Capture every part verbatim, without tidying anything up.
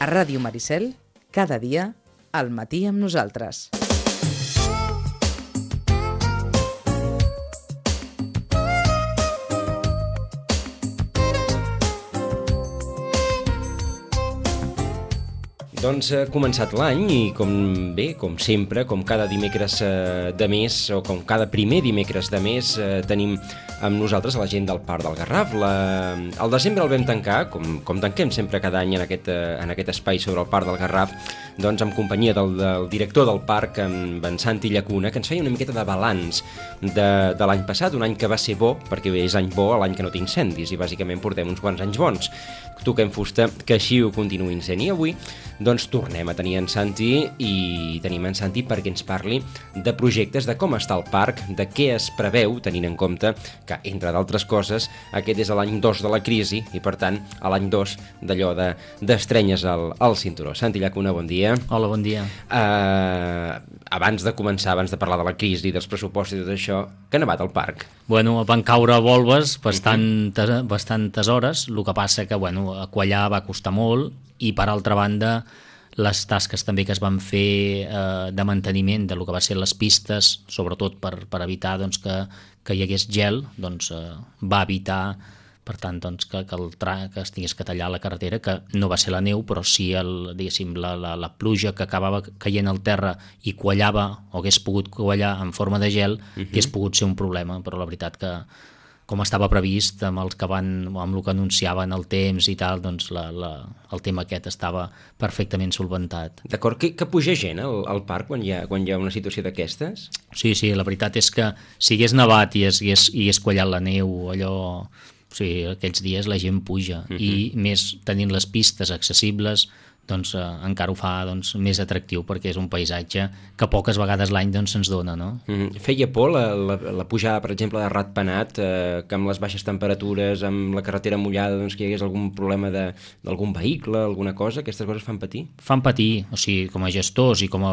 A Ràdio Maricel, cada dia, al matí amb nosaltres. Doncs ha començat l'any i com bé, com sempre, com cada dimecres de mes o com cada primer dimecres de mes tenim amb nosaltres a la gent del Parc del Garraf. La... El desembre el vam tancar, com, com tanquem sempre cada any en aquest, en aquest espai sobre el Parc del Garraf, doncs amb companyia del, del director del parc, amb en Santi Llacuna, que ens feia una miqueta de balanç de, de l'any passat, un any que va ser bo, perquè és any bo l'any que no té incendis i bàsicament portem uns quants anys bons. Toquem fusta que així ho continuïn sent. I avui doncs tornem a tenir en Santi i tenim en Santi perquè ens parli de projectes, de com està el parc, de què es preveu, tenint en compte que, entre d'altres coses, aquest és l'any dos de la crisi i, per tant, a l'any dos d'allò de, d'estrenyes al, al cinturó. Santi Llacuna, bon dia. Hola, bon dia. Uh, abans de començar, abans de parlar de la crisi, dels pressupostos i tot això, què ha nevat al parc? Bueno, van caure volves bastantes, uh-huh. bastantes hores, el que passa que, bueno, quallar va costar molt i, per altra banda, les tasques també que es van fer eh, de manteniment de lo que va ser les pistes, sobretot per, per evitar doncs, que, que hi hagués gel, doncs, eh, va evitar, per tant, doncs, que, que, el tra que es tingués que tallar la carretera, que no va ser la neu, però sí el, diguéssim, la, la, la pluja que acabava caient al terra i quallava, o hagués pogut quallar en forma de gel, uh-huh. hagués pogut ser un problema, però la veritat que com estava previst, amb els que van, amb el que anunciaven el temps i tal, doncs la, la, el tema aquest estava perfectament solventat. D'acord, que, que puja gent al, al parc quan hi, ha, quan hi ha una situació d'aquestes? Sí, sí, la veritat és que si hagués nevat i hagués, i hagués quallat la neu, allò, o sigui, aquells dies la gent puja, uh-huh. i més tenint les pistes accessibles, doncs eh, encara ho fa doncs, més atractiu perquè és un paisatge que poques vegades l'any doncs, se'ns dona, no? Mm, feia por la, la, la pujada, per exemple, de Ratpenat, eh, que amb les baixes temperatures, amb la carretera mullada, doncs, que hi hagués algun problema d'algun vehicle, alguna cosa? Aquestes coses fan patir? Fan patir, o sigui, com a gestors i com a,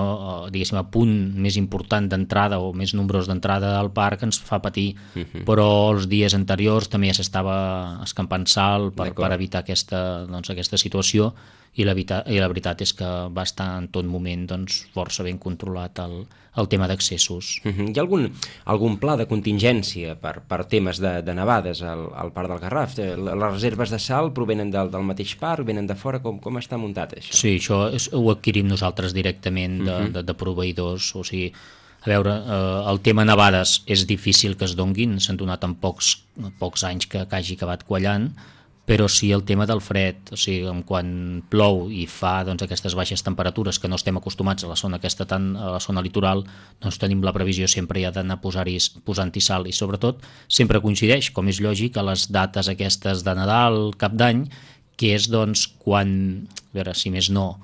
diguéssim, a punt més important d'entrada o més nombrós d'entrada al parc ens fa patir, uh-huh. però els dies anteriors també ja s'estava escampant sal per, per evitar aquesta, doncs, aquesta situació. I la, I la veritat és que va estar en tot moment doncs, força ben controlat el, el tema d'accessos. Uh-huh. Hi ha algun, algun pla de contingència per, per temes de, de nevades al, al Parc del Garraf? Les reserves de sal provenen del, del mateix parc, venen de fora? Com, com està muntat això? Sí, això és, ho adquirim nosaltres directament de, uh-huh. de, de proveïdors. O sigui, a veure, eh, el tema nevades és difícil que es donguin, s'han donat en pocs, pocs anys que, que hagi acabat quallant, però sí el tema del fred, o sigui, quan plou i fa doncs, aquestes baixes temperatures que no estem acostumats a la zona aquesta tan, a la zona litoral, doncs tenim la previsió sempre ja d'anar posant-hi sal i sobretot sempre coincideix, com és lògic, a les dates aquestes de Nadal, Cap d'Any, que és doncs quan, a veure, si més no,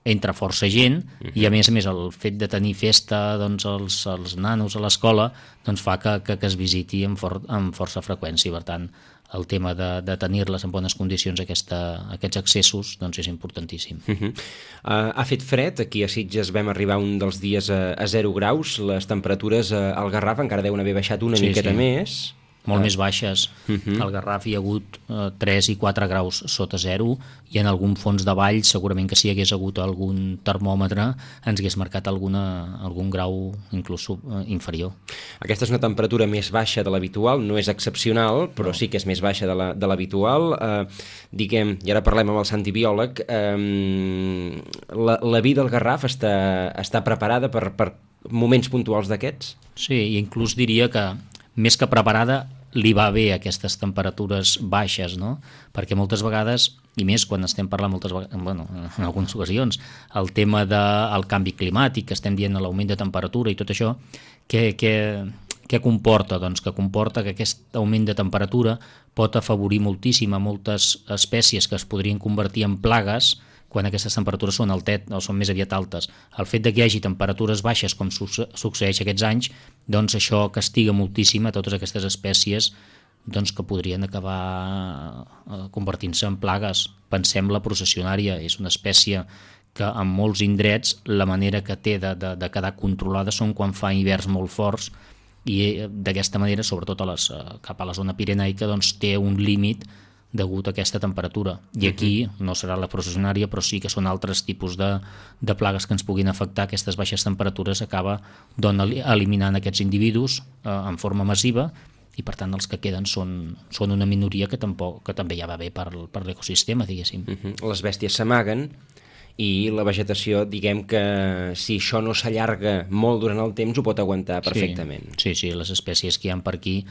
entra força gent uh-huh. i a més a més el fet de tenir festa doncs, els, els nanos a l'escola doncs, fa que, que, que es visiti amb, for, amb força freqüència, per tant el tema de, de tenir-les en bones condicions, aquesta, aquests accessos, doncs és importantíssim. Uh-huh. Uh, ha fet fred, aquí a Sitges vam arribar un dels dies a, a zero graus, les temperatures uh, al Garraf encara deuen haver baixat una sí, miqueta sí. més. Molt uh. més baixes. Uh-huh. Al Garraf hi ha hagut uh, tres i quatre graus sota zero i en algun fons de vall segurament que si hi hagués hagut algun termòmetre ens hagués marcat alguna, algun grau inclús uh, inferior. Aquesta és una temperatura més baixa de l'habitual, no és excepcional, però no. sí que és més baixa de l'habitual. Uh, diguem, i ara parlem amb el Santi biòleg, um, la, la vida al Garraf està, està preparada per, per moments puntuals d'aquests? Sí, i inclús diria que més que preparada li va bé aquestes temperatures baixes, no? Perquè moltes vegades, i més quan estem parlant moltes vegades, bueno, en algunes ocasions, el tema del canvi climàtic, que estem dient l'augment de temperatura i tot això, què, què, què comporta? Doncs que comporta que aquest augment de temperatura pot afavorir moltíssim a moltes espècies que es podrien convertir en plagues quan aquestes temperatures són, altet, o són més aviat altes. El fet de que hi hagi temperatures baixes, com succeeix aquests anys, doncs això castiga moltíssim a totes aquestes espècies doncs, que podrien acabar convertint-se en plagues. Pensem la processionària, és una espècie que en molts indrets la manera que té de, de, de quedar controlada són quan fa hiverns molt forts i d'aquesta manera, sobretot a les, cap a la zona pirenaica, doncs, té un límit degut a aquesta temperatura. I aquí no serà la processionària, però sí que són altres tipus de, de plagues que ens puguin afectar. Aquestes baixes temperatures acaba doncs, eliminant aquests individus eh, en forma massiva, i per tant els que queden són, són una minoria que, tampoc, que també ja va bé per, per l'ecosistema, diguéssim. Uh-huh. Les bèsties s'amaguen i la vegetació, diguem que si això no s'allarga molt durant el temps ho pot aguantar perfectament. Sí, sí, sí, les espècies que hi ha per aquí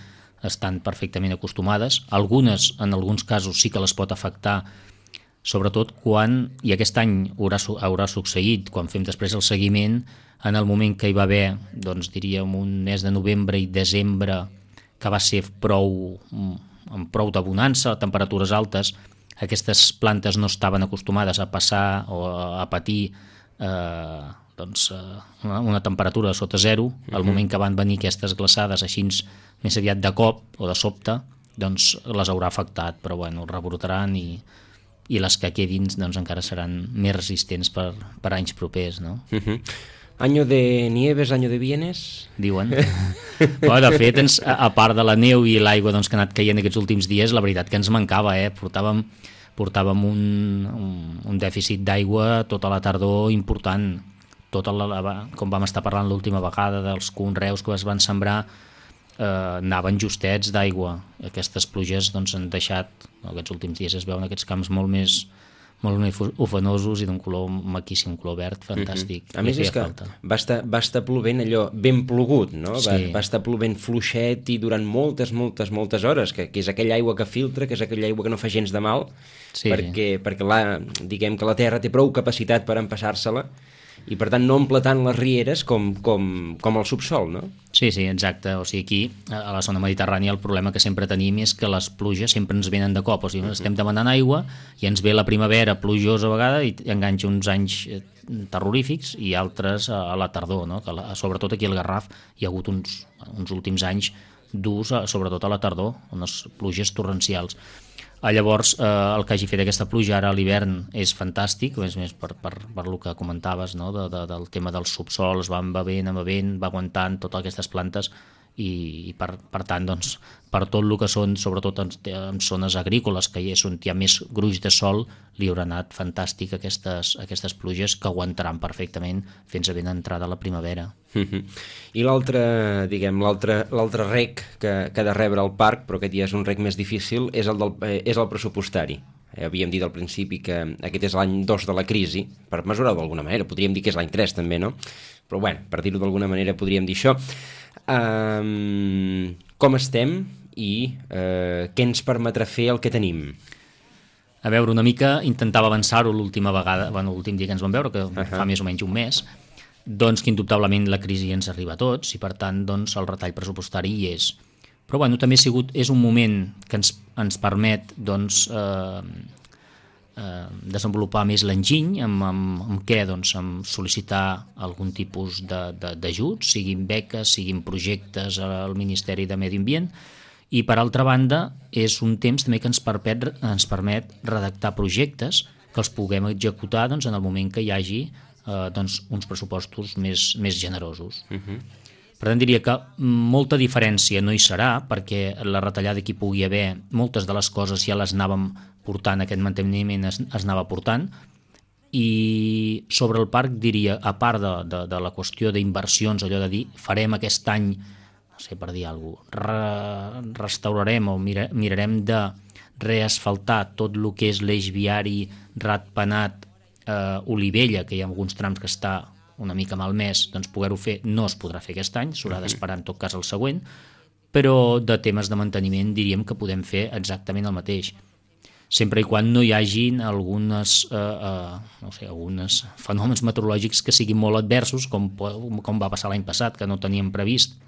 estan perfectament acostumades. Algunes, en alguns casos, sí que les pot afectar, sobretot quan, i aquest any haurà, haurà succeït, quan fem després el seguiment, en el moment que hi va haver, doncs diríem, un mes de novembre i desembre, que va ser prou, amb prou d'abonança, temperatures altes, aquestes plantes no estaven acostumades a passar o a patir eh, doncs, una, una temperatura sota zero. Al uh-huh. moment que van venir aquestes glaçades així més aviat de cop o de sobte, doncs les haurà afectat, però bueno, rebrotaran i, i les que quedin doncs, encara seran més resistents per, per anys propers, no? Uh-huh. Año de nieves, año de bienes? Diuen. Però, de fet, ens, a part de la neu i l'aigua doncs, que ha anat caient aquests últims dies, la veritat que ens mancava, eh? Portàvem, portàvem un, un, un dèficit d'aigua tota la tardor important. Tota la, com vam estar parlant l'última vegada dels conreus que es van sembrar, eh, anaven justets d'aigua. Aquestes pluges doncs, han deixat, aquests últims dies es veuen aquests camps molt més molt més ufanosos i d'un color maquíssim, color verd, fantàstic. Mm-hmm. A més és que va estar, va estar plovent allò ben plogut, no? Sí. Va, va estar plovent fluixet i durant moltes, moltes, moltes hores, que, que és aquella aigua que filtra, que és aquella aigua que no fa gens de mal, sí, perquè, sí. perquè la, diguem que la terra té prou capacitat per empassar-se-la i per tant no omple tant les rieres com, com, com el subsol, no? Sí, sí, exacte. O sigui, aquí, a la zona mediterrània, el problema que sempre tenim és que les pluges sempre ens venen de cop. O sigui, estem demanant aigua i ens ve la primavera plujosa a vegada i enganxa uns anys terrorífics i altres a la tardor, no? Que la, sobretot aquí al Garraf hi ha hagut uns, uns últims anys durs, sobretot a la tardor, unes pluges torrencials. Llavors, eh, el que hagi fet aquesta pluja ara a l'hivern és fantàstic, més més per, per, per el que comentaves, no? de, de, del tema dels subsols, va embevent, embevent, va aguantant totes aquestes plantes i, i per, per tant, doncs, per tot el que són, sobretot en, en zones agrícoles, que hi és on hi ha més gruix de sol, li haurà anat fantàstic aquestes, aquestes pluges que aguantaran perfectament fins a ben entrada la primavera. I l'altre, diguem, l'altre l'altre rec que, que ha de rebre el parc, però aquest ja és un rec més difícil, és el, del, és el pressupostari. Eh, havíem dit al principi que aquest és l'any dos de la crisi, per mesurar-ho d'alguna manera, podríem dir que és l'any tres també, no? Però bueno, per dir-ho d'alguna manera podríem dir això. Um, com estem i uh, què ens permetrà fer el que tenim? A veure, una mica intentava avançar-ho l'última vegada, bueno, l'últim dia que ens vam veure, que uh-huh. fa més o menys un mes, doncs que indubtablement la crisi ens arriba a tots i per tant doncs, el retall pressupostari hi és. Però bueno, també ha sigut, és un moment que ens, ens permet doncs, eh, eh, desenvolupar més l'enginy, amb, amb, amb què? Doncs amb sol·licitar algun tipus d'ajuts, siguin beques, siguin projectes al Ministeri de Medi Ambient, i per altra banda és un temps també que ens permet, ens permet redactar projectes que els puguem executar doncs, en el moment que hi hagi eh, doncs, uns pressupostos més, més generosos. Uh-huh. Per tant, diria que molta diferència no hi serà, perquè la retallada que hi pugui haver, moltes de les coses ja les anàvem portant, aquest manteniment es, es anava portant, i sobre el parc diria, a part de, de, de la qüestió d'inversions, allò de dir, farem aquest any, no sé, per dir alguna cosa, re, restaurarem o mira, mirarem de reasfaltar tot el que és l'eix viari Ratpenat, eh, Olivella, que hi ha alguns trams que està una mica malmès, doncs poder-ho fer no es podrà fer aquest any, s'haurà d'esperar en tot cas el següent, però de temes de manteniment diríem que podem fer exactament el mateix, sempre i quan no hi hagin algunes, eh, eh, no sé, algunes fenòmens meteorològics que siguin molt adversos, com, com va passar l'any passat, que no teníem previst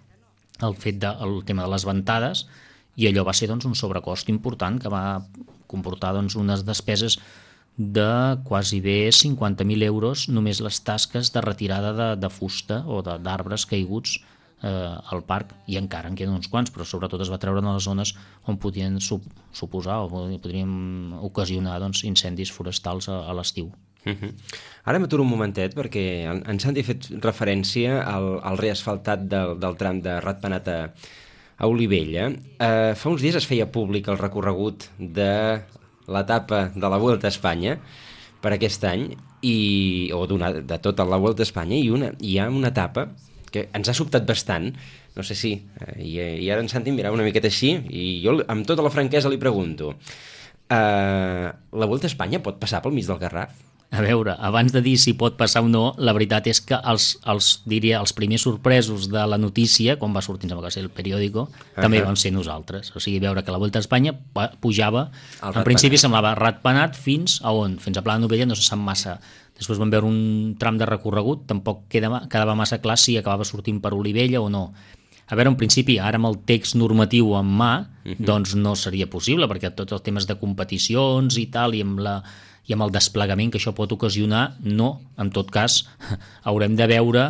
el fet de, el tema de les ventades, i allò va ser doncs, un sobrecost important que va comportar doncs, unes despeses de quasi bé cinquanta mil euros només les tasques de retirada de, de fusta o d'arbres caiguts eh, al parc, i encara en queden uns quants, però sobretot es va treure en les zones on podien sup suposar o podrien ocasionar doncs, incendis forestals a, a l'estiu. Uh-huh. Ara m'aturo un momentet perquè en Santi ha fet referència al, al reasfaltat del, del tram de Ratpenat a, a Olivella. Eh, fa uns dies es feia públic el recorregut de l'etapa de la Vuelta a Espanya per aquest any, i, o de tota la Vuelta a Espanya, i una, hi ha una etapa que ens ha sobtat bastant, no sé si, eh, i, i ara en Santi em mirava una miqueta així, i jo amb tota la franquesa li pregunto, eh, la Vuelta a Espanya pot passar pel mig del Garraf? A veure, abans de dir si pot passar o no, la veritat és que els, els, diria, els primers sorpresos de la notícia, quan va sortir, em sembla que va ser el periòdico, uh-huh. també vam ser nosaltres. O sigui, veure que la Vuelta a Espanya pujava, el en principi semblava ratpenat fins a on? Fins a Pla de Novella, no se sap massa. Després vam veure un tram de recorregut, tampoc quedava, quedava massa clar si acabava sortint per Olivella o no. A veure, en principi, ara amb el text normatiu en mà, uh-huh. doncs no seria possible, perquè tots els temes de competicions i tal, i amb la... i amb el desplegament que això pot ocasionar, no. En tot cas, haurem de veure,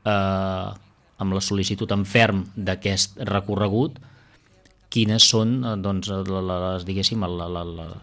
eh, amb la sol·licitud en ferm d'aquest recorregut, quines són, doncs, les, diguéssim, la, la, la,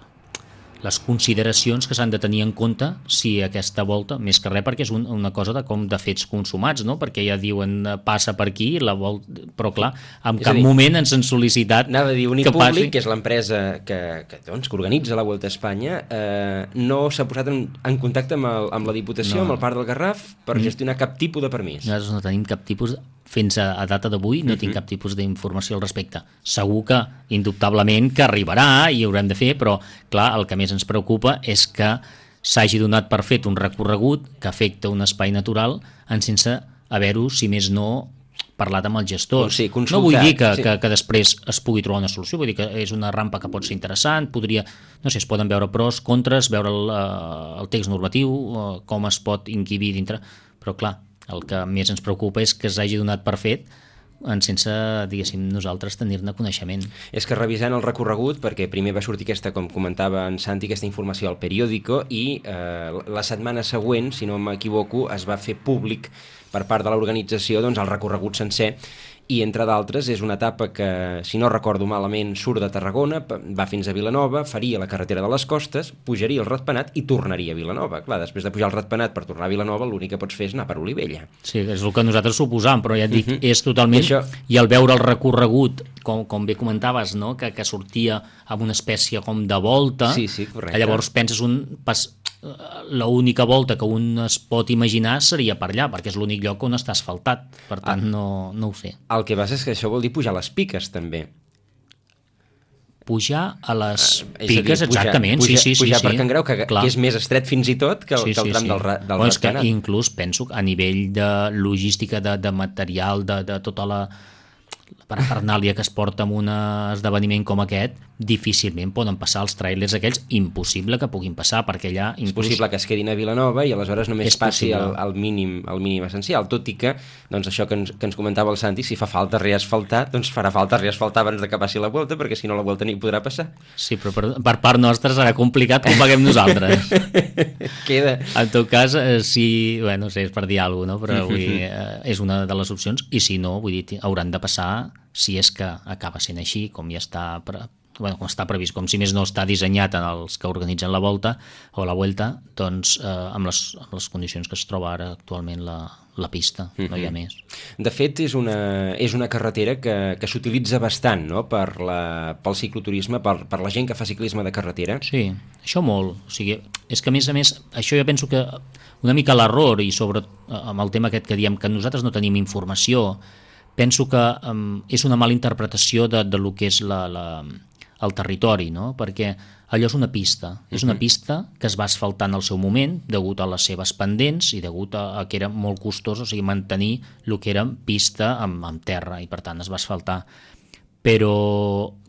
les consideracions que s'han de tenir en compte si aquesta volta, més que res perquè és un, una cosa de com de fets consumats, no? Perquè ja diuen passa per aquí, la volta, però clar, en cap dir, moment ens han sol·licitat anava a dir, Unipublic, que és l'empresa que, que, doncs, que organitza la Vuelta a Espanya, eh, no s'ha posat en, en contacte amb, el, amb la Diputació, no. amb el Parc del Garraf, per mm. gestionar cap tipus de permís. Nosaltres no tenim cap tipus de... Fins a, a data d'avui no uh-huh. tinc cap tipus d'informació al respecte. Segur que, indubtablement, que arribarà i haurem de fer, però, clar, el que més ens preocupa és que s'hagi donat per fet un recorregut que afecta un espai natural en sense haver-ho, si més no, parlat amb els gestors. Sí, no vull dir que, sí. que, que després es pugui trobar una solució, vull dir que és una rampa que pot ser interessant, podria, no sé, es poden veure pros, contres, veure el, el text normatiu, com es pot inquibir dintre, però clar, el que més ens preocupa és que s'hagi donat per fet en sense, diguéssim, nosaltres tenir-ne coneixement. És que revisant el recorregut, perquè primer va sortir aquesta, com comentava en Santi, aquesta informació al periòdico, i eh, la setmana següent, si no m'equivoco, es va fer públic per part de l'organització, doncs, el recorregut sencer, i entre d'altres és una etapa que, si no recordo malament, surt de Tarragona, va fins a Vilanova, faria la carretera de les Costes, pujaria el Ratpenat i tornaria a Vilanova. Clar, després de pujar el Ratpenat per tornar a Vilanova, l'únic que pots fer és anar per Olivella. Sí, és el que nosaltres suposam, però ja et dic, uh-huh. és totalment... I, això... I al veure el recorregut, com, com bé comentaves, no? que, que sortia amb una espècie com de volta, sí, sí, correcte. Llavors penses un... Pas... l'única volta que un es pot imaginar seria per allà, perquè és l'únic lloc on està asfaltat, per tant ah, no, no ho sé. El que passa és que això vol dir pujar les piques també. Pujar a les ah, piques, dir, pujar, exactament, pujar, sí, sí, pujar sí. per Can Grau, que, que és més estret fins i tot que el, sí, que el tram sí, sí. del, del bueno, Ratpenat. Inclús penso que a nivell de logística, de, de material, de, de tota la parafernàlia que es porta en un esdeveniment com aquest, difícilment poden passar els trailers aquells, impossible que puguin passar, perquè allà... Inclús... És possible que es quedin a Vilanova i aleshores només passi el, el, mínim, el mínim essencial, tot i que, doncs això que ens, que ens comentava el Santi, si fa falta reasfaltar, doncs farà falta reasfaltar abans de que passi la Vuelta, perquè si no la Vuelta ni podrà passar. Sí, però per, per part nostra serà complicat com paguem nosaltres. Queda. En tot cas, eh, si... Bé, no sé, és per dir alguna cosa, no? Però vull dir, eh, és una de les opcions, i si no, vull dir, hauran de passar, si és que acaba sent així, com ja està... Pre... Bueno, com està previst, com si més no està dissenyat en els que organitzen la volta o la Vuelta, doncs eh, amb, les, amb les condicions que es troba ara actualment la, la pista, mm-hmm. no hi ha més. De fet, és una, és una carretera que, que s'utilitza bastant, no?, per la, pel cicloturisme, per, per la gent que fa ciclisme de carretera. Sí, això molt. O sigui, és que a més a més, això jo penso que una mica l'error, i sobre amb el tema aquest que diem que nosaltres no tenim informació, penso que um, és una mala interpretació de, de lo que és la... la el territori, no? Perquè allò és una pista, és una pista que es va asfaltar en el seu moment degut a les seves pendents i degut a, a que era molt costós, o sigui, mantenir el que era pista amb, amb terra, i per tant es va asfaltar. Però,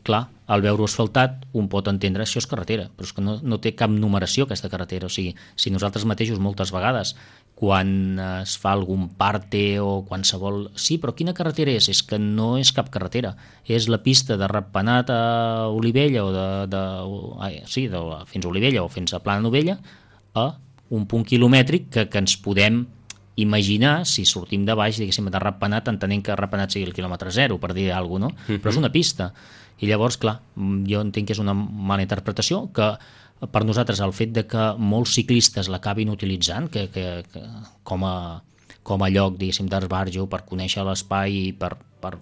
clar, al veure-ho asfaltat un pot entendre això és carretera, però és que no, no té cap numeració aquesta carretera, o sigui, si nosaltres mateixos moltes vegades quan es fa algun parte o qualsevol... Sí, però quina carretera és? És que no és cap carretera. És la pista de Ratpenat a Olivella o de... de ai, sí, de, fins a Olivella o fins a Pla de Novella a un punt quilomètric que, que ens podem imaginar si sortim de baix, diguéssim, de Ratpenat, entenent que Ratpenat sigui el quilòmetre zero, per dir alguna cosa, no? Uh-huh. Però és una pista. I llavors, clar, jo entenc que és una mala interpretació, que per nosaltres el fet de que molts ciclistes l'acabin utilitzant que, que, que com, a, com a lloc, diguéssim, d'esbarjo per conèixer l'espai i per, per,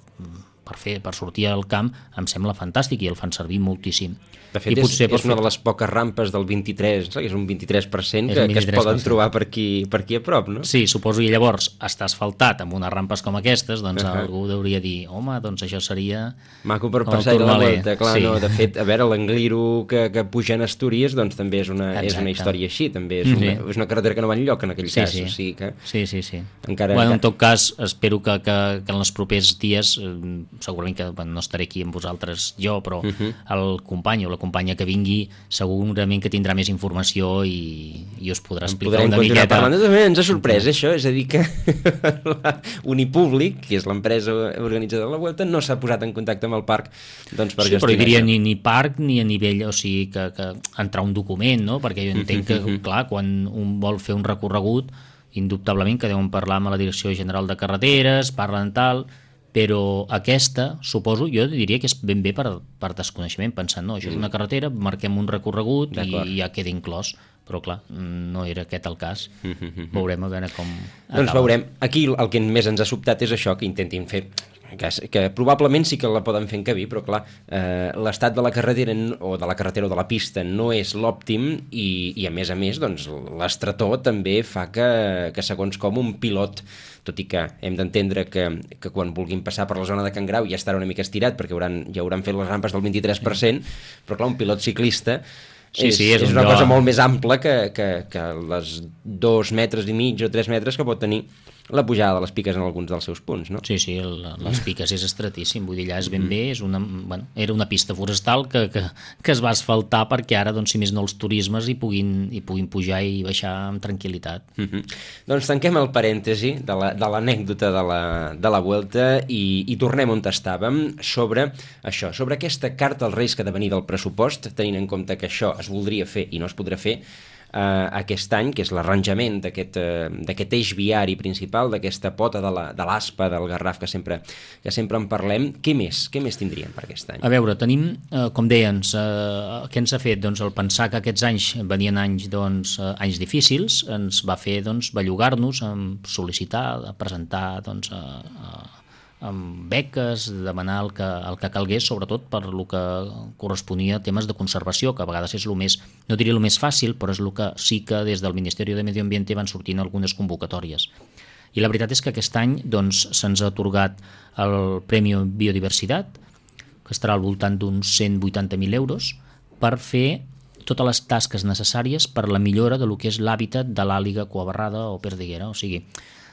per per, fer, per sortir al camp em sembla fantàstic i el fan servir moltíssim. De fet, I és, és fer... una de les poques rampes del vint-i-tres, no? És un vint-i-tres per cent que, vint-i-tres per cent. que es poden trobar per aquí, per aquí a prop, no? Sí, suposo, i llavors està asfaltat amb unes rampes com aquestes, doncs uh -huh. algú hauria dir, home, doncs això seria... Maco per passar la volta, clar, sí. No, de fet, a veure, l'Angliru que, que puja a Astúries, doncs també és una, és una història així, també és una, sí. és una carretera que no va enlloc en aquell sí, cas, sí. o sigui que... Sí, sí, sí. Encara, bueno, encara... en tot cas, espero que, que, que en els propers dies, eh, segurament que bueno, no estaré aquí amb vosaltres jo, però uh -huh. el company o la companya que vingui segurament que tindrà més informació i, i us podrà explicar una miqueta. Parlant, també ens ha sorprès això, és a dir que Unipúblic, que és l'empresa organitzadora de la Vuelta, no s'ha posat en contacte amb el parc doncs, per sí, gestionar però hi diria això. ni, ni parc ni a nivell, o sigui, que, que entrar un document, no? Perquè jo entenc que, clar, quan un vol fer un recorregut, indubtablement que deuen parlar amb la Direcció General de Carreteres, parlen tal, però aquesta, suposo, jo diria que és ben bé per, per desconeixement, pensant, no, això és una carretera, marquem un recorregut i ja queda inclòs, però clar, no era aquest el cas. Veurem a veure com acaba. Doncs veurem. Aquí el que més ens ha sobtat és això, que intentin fer que, que probablement sí que la poden fer encabir, però clar, eh, l'estat de la carretera o de la carretera o de la pista no és l'òptim i, i a més a més doncs, l'estretor també fa que, que segons com un pilot, tot i que hem d'entendre que, que quan vulguin passar per la zona de Can Grau ja estarà una mica estirat perquè hauran, ja hauran fet les rampes del vint-i-tres per cent, però clar, un pilot ciclista Sí, és, sí, és, és un una lloc... cosa molt més ampla que, que, que les dos metres i mig o tres metres que pot tenir la pujada de les piques en alguns dels seus punts, no? Sí, sí, el, les piques és estretíssim, vull dir, allà és ben bé, és una, bueno, era una pista forestal que, que, que es va asfaltar perquè ara, doncs, si més no, els turismes hi puguin, hi puguin pujar i baixar amb tranquil·litat. Mm -hmm. Doncs tanquem el parèntesi de l'anècdota la, de, la, de la Vuelta i, i tornem on estàvem sobre això, sobre aquesta carta als Reis que ha de venir del pressupost, tenint en compte que això es voldria fer i no es podrà fer Uh, aquest any, que és l'arranjament d'aquest uh, eix viari principal, d'aquesta pota de l'Aspa, de del Garraf, que sempre, que sempre en parlem. Què més? Què més tindríem per aquest any? A veure, tenim, uh, com deies, uh, què ens ha fet? Doncs el pensar que aquests anys venien anys, doncs, uh, anys difícils ens va fer doncs, bellugar-nos, sol·licitar, presentar doncs, uh, uh, amb beques, demanar el que, el que calgués, sobretot per el que corresponia a temes de conservació, que a vegades és el més, no diria el més fàcil, però és el que sí que des del Ministeri de Medi Ambiente van sortint algunes convocatòries. I la veritat és que aquest any doncs, se'ns ha atorgat el Premi Biodiversitat, que estarà al voltant d'uns cent vuitanta mil euros, per fer totes les tasques necessàries per la millora de lo que és l'hàbitat de l'àliga coabarrada o perdiguera, o sigui,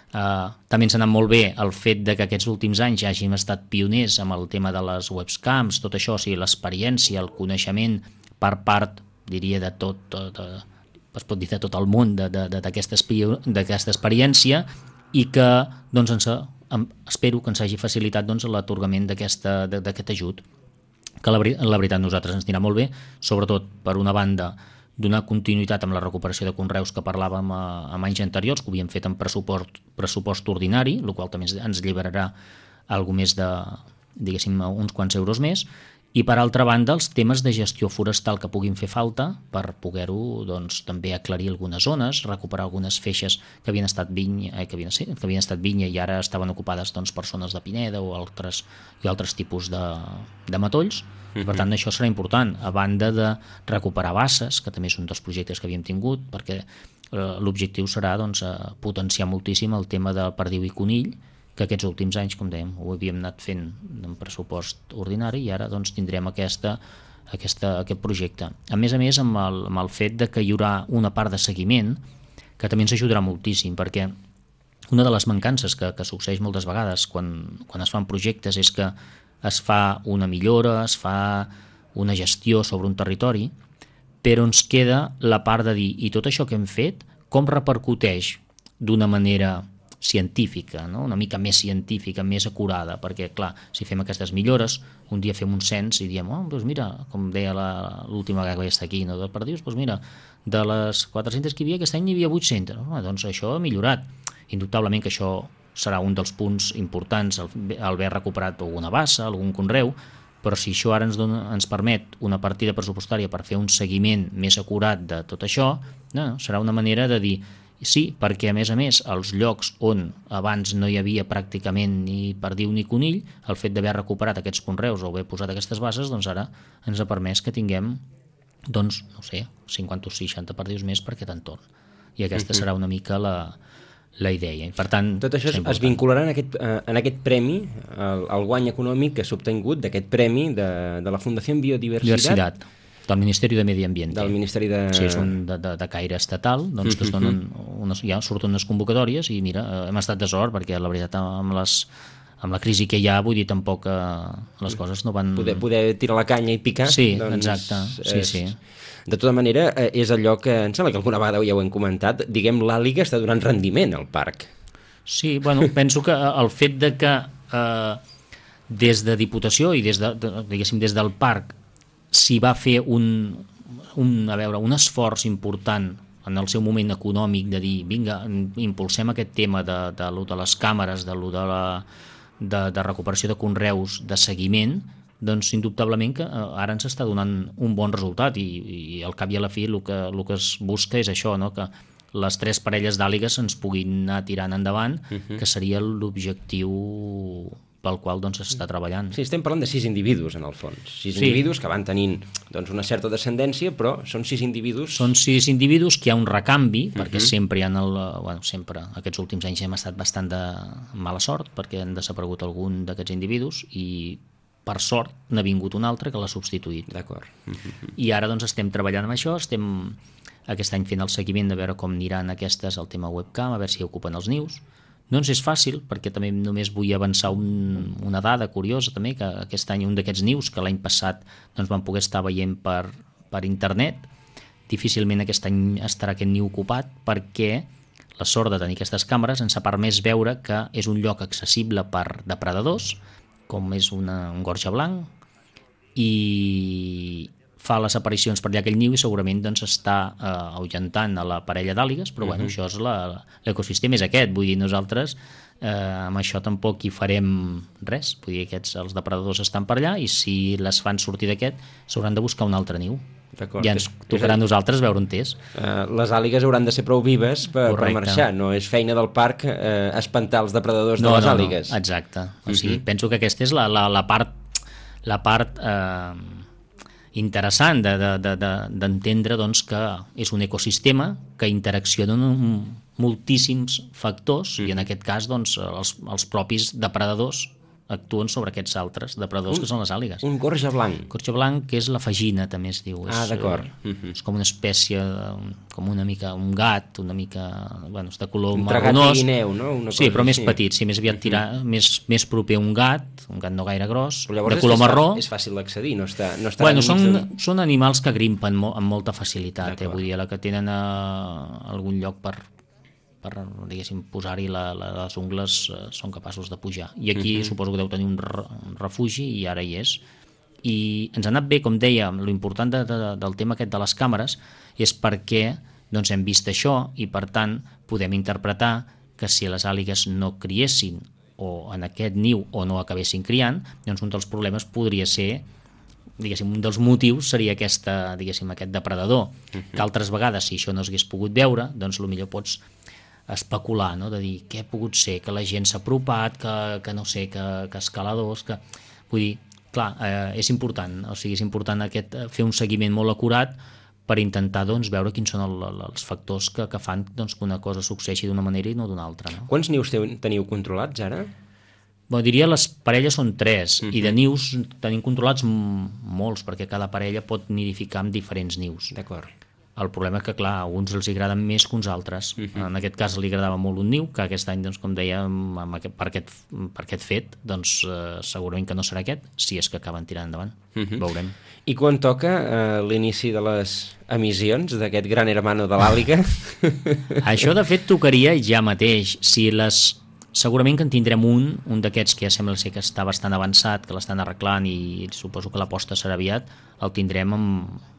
Uh, també ens ha anat molt bé el fet de que aquests últims anys ja hàgim estat pioners amb el tema de les webcams, tot això, o sigui, l'experiència, el coneixement per part, diria, de tot, tot, tot es pot dir de tot el món d'aquesta experiència i que, doncs, ens ha, espero que ens hagi facilitat doncs, l'atorgament d'aquest ajut, que la, la veritat nosaltres ens anirà molt bé, sobretot per una banda donar continuïtat amb la recuperació de conreus que parlàvem a, a anys anteriors, que ho havíem fet en pressupost, pressupost ordinari, el qual també ens alliberarà alguna més de, diguéssim, uns quants euros més, i per altra banda els temes de gestió forestal que puguin fer falta per poder-ho doncs, també aclarir algunes zones, recuperar algunes feixes que havien estat vinya, eh, que havien, sí, que havien estat vinya i ara estaven ocupades doncs, per zones de pineda o altres, i altres tipus de, de matolls. Uh-huh. Per tant, això serà important, a banda de recuperar basses, que també és un dels projectes que havíem tingut, perquè eh, l'objectiu serà doncs, potenciar moltíssim el tema del perdiu i conill, que aquests últims anys, com dèiem, ho havíem anat fent en pressupost ordinari i ara doncs, tindrem aquesta, aquesta, aquest projecte. A més a més, amb el, amb el fet de que hi haurà una part de seguiment, que també ens ajudarà moltíssim, perquè una de les mancances que, que succeeix moltes vegades quan, quan es fan projectes és que es fa una millora, es fa una gestió sobre un territori, però ens queda la part de dir, i tot això que hem fet, com repercuteix d'una manera científica, no? Una mica més científica, més acurada, perquè, clar, si fem aquestes millores, un dia fem un cens i diem, oh, doncs mira, com deia l'última vegada que vaig estar aquí, no, de perdius, doncs mira, de les quatre-centes que hi havia, aquest any n'hi havia vuit-centes, no? Doncs això ha millorat. Indubtablement que això serà un dels punts importants, el, el haver recuperat alguna bassa, algun conreu, però si això ara ens, dona, ens permet una partida pressupostària per fer un seguiment més acurat de tot això, no, serà una manera de dir, Sí, perquè a més a més els llocs on abans no hi havia pràcticament ni perdiu ni conill, el fet d'haver recuperat aquests conreus o haver posat aquestes bases, doncs ara ens ha permès que tinguem, doncs, no sé, cinquanta o seixanta perdius més per aquest entorn. I aquesta uh-huh. serà una mica la, la idea. I per tant, tot això es, es vincularà en aquest, en aquest premi, el, el guany econòmic que s'ha obtingut d'aquest premi de, de la Fundació Biodiversitat. Diversitat. Del Ministeri de Medi Ambient. Del Ministeri de... Sí, és un de, de, de caire estatal, doncs que es donen unes, ja surten unes convocatòries i mira, hem estat de sort perquè la veritat amb, les, amb la crisi que hi ha, vull dir, tampoc eh, les coses no van... Poder, poder tirar la canya i picar. Sí, doncs, exacte, sí, és, sí. De tota manera, és allò que, em sembla que alguna vegada ja ho hem comentat, diguem, l'àliga està donant rendiment al parc. Sí, bueno, penso que el fet de que eh, des de Diputació i des, de, de, diguéssim, des del parc s'hi va fer un, un, a veure, un esforç important en el seu moment econòmic de dir, vinga, impulsem aquest tema de, de, de, de les càmeres, de, de, la, de, de recuperació de conreus, de seguiment, doncs indubtablement que ara ens està donant un bon resultat i, i al cap i a la fi el que, el que es busca és això, no? Que les tres parelles d'àligues ens puguin anar tirant endavant, uh-huh. que seria l'objectiu pel qual doncs s'està treballant. Sí, estem parlant de sis individus en el fons, sis sí. individus que van tenint doncs, una certa descendència, però són sis individus... Són sis individus que hi ha un recanvi, uh-huh. perquè sempre hi ha el... Bueno, sempre, aquests últims anys hem estat bastant de mala sort, perquè han desaparegut algun d'aquests individus i per sort n'ha vingut un altre que l'ha substituït. D'acord. Uh-huh. I ara doncs estem treballant amb això, estem aquest any fent el seguiment de veure com aniran aquestes, el tema webcam, a veure si ocupen els nius. No ens és fàcil, perquè també només vull avançar un, una dada curiosa també, que aquest any un d'aquests nius que l'any passat doncs, van poder estar veient per, per internet, difícilment aquest any estarà aquest niu ocupat perquè la sort de tenir aquestes càmeres ens ha permès veure que és un lloc accessible per depredadors, com és una, un gorja blanc, i fa les aparicions per allà aquell niu i segurament doncs, està eh, ahuyentant a la parella d'àligues, però uh-huh. bueno, això és la, l'ecosistema és aquest, vull dir, nosaltres eh, amb això tampoc hi farem res, vull dir, aquests, els depredadors estan per allà i si les fan sortir d'aquest s'hauran de buscar un altre niu. D'acord. Ja ens tocarà a nosaltres veure on és. Uh, les àligues hauran de ser prou vives per, per marxar, no és feina del parc uh, espantar els depredadors no, de les no, àligues. No, exacte, o sigui, uh-huh. penso que aquesta és la, la, la part, la part eh, interessant de, de, de, de, d'entendre doncs, que és un ecosistema que interacciona amb moltíssims factors uh-huh. i en aquest cas doncs, els, els propis depredadors actuen sobre aquests altres depredadors un, que són les àligues. Un gorja blanc. Gorja blanc, que és la fagina, també es diu. Ah, és, d'acord. Eh, uh-huh. És com una espècie, com una mica un gat, una mica, bueno, és de color un marronós. Un guineu, no? Una sí, però així. Més petit, sí, més aviat tirar, uh-huh. més, més proper a un gat, un gat no gaire gros, de color és marró. És fàcil d'accedir, no està, no està bueno, són, de... són animals que grimpen mo- amb molta facilitat, eh, vull dir, la que tenen a algun lloc per per, diguéssim, posar-hi la, la, les ungles eh, són capaços de pujar. I aquí uh-huh. suposo que deu tenir un, re, un refugi i ara hi és. I ens ha anat bé, com deia, l'important de, de, del tema aquest de les càmeres és perquè doncs, hem vist això i, per tant, podem interpretar que si les àligues no criessin o en aquest niu o no acabessin criant, doncs un dels problemes podria ser diguéssim, un dels motius seria aquesta, diguéssim, aquest depredador, uh-huh. que altres vegades, si això no s'hagués pogut veure, doncs potser pots especular, no? De dir què ha pogut ser, que la gent s'ha apropat, que, que no sé, que, que escaladors, que... Vull dir, clar, eh, és important, o sigui, és important aquest, fer un seguiment molt acurat per intentar doncs, veure quins són el, els factors que, que fan doncs, que una cosa succeeixi d'una manera i no d'una altra. No? Quants nius teniu controlats ara? Bon, diria les parelles són tres, uh-huh. i de nius tenim controlats molts, perquè cada parella pot nidificar amb diferents nius. D'acord. El problema és que, clar, a uns els agraden més que uns altres. Uh-huh. En aquest cas li agradava molt un niu, que aquest any, doncs, com deia, amb aquest, per, aquest, per aquest fet, doncs, eh, segurament que no serà aquest, si és que acaben tirant endavant. Uh-huh. Veurem. I quan toca eh, l'inici de les emissions d'aquest gran hermano de l'àliga? Això, de fet, tocaria ja mateix. Si les... Segurament que en tindrem un, un d'aquests que ja sembla ser que està bastant avançat, que l'estan arreglant i suposo que l'aposta serà aviat, el tindrem en,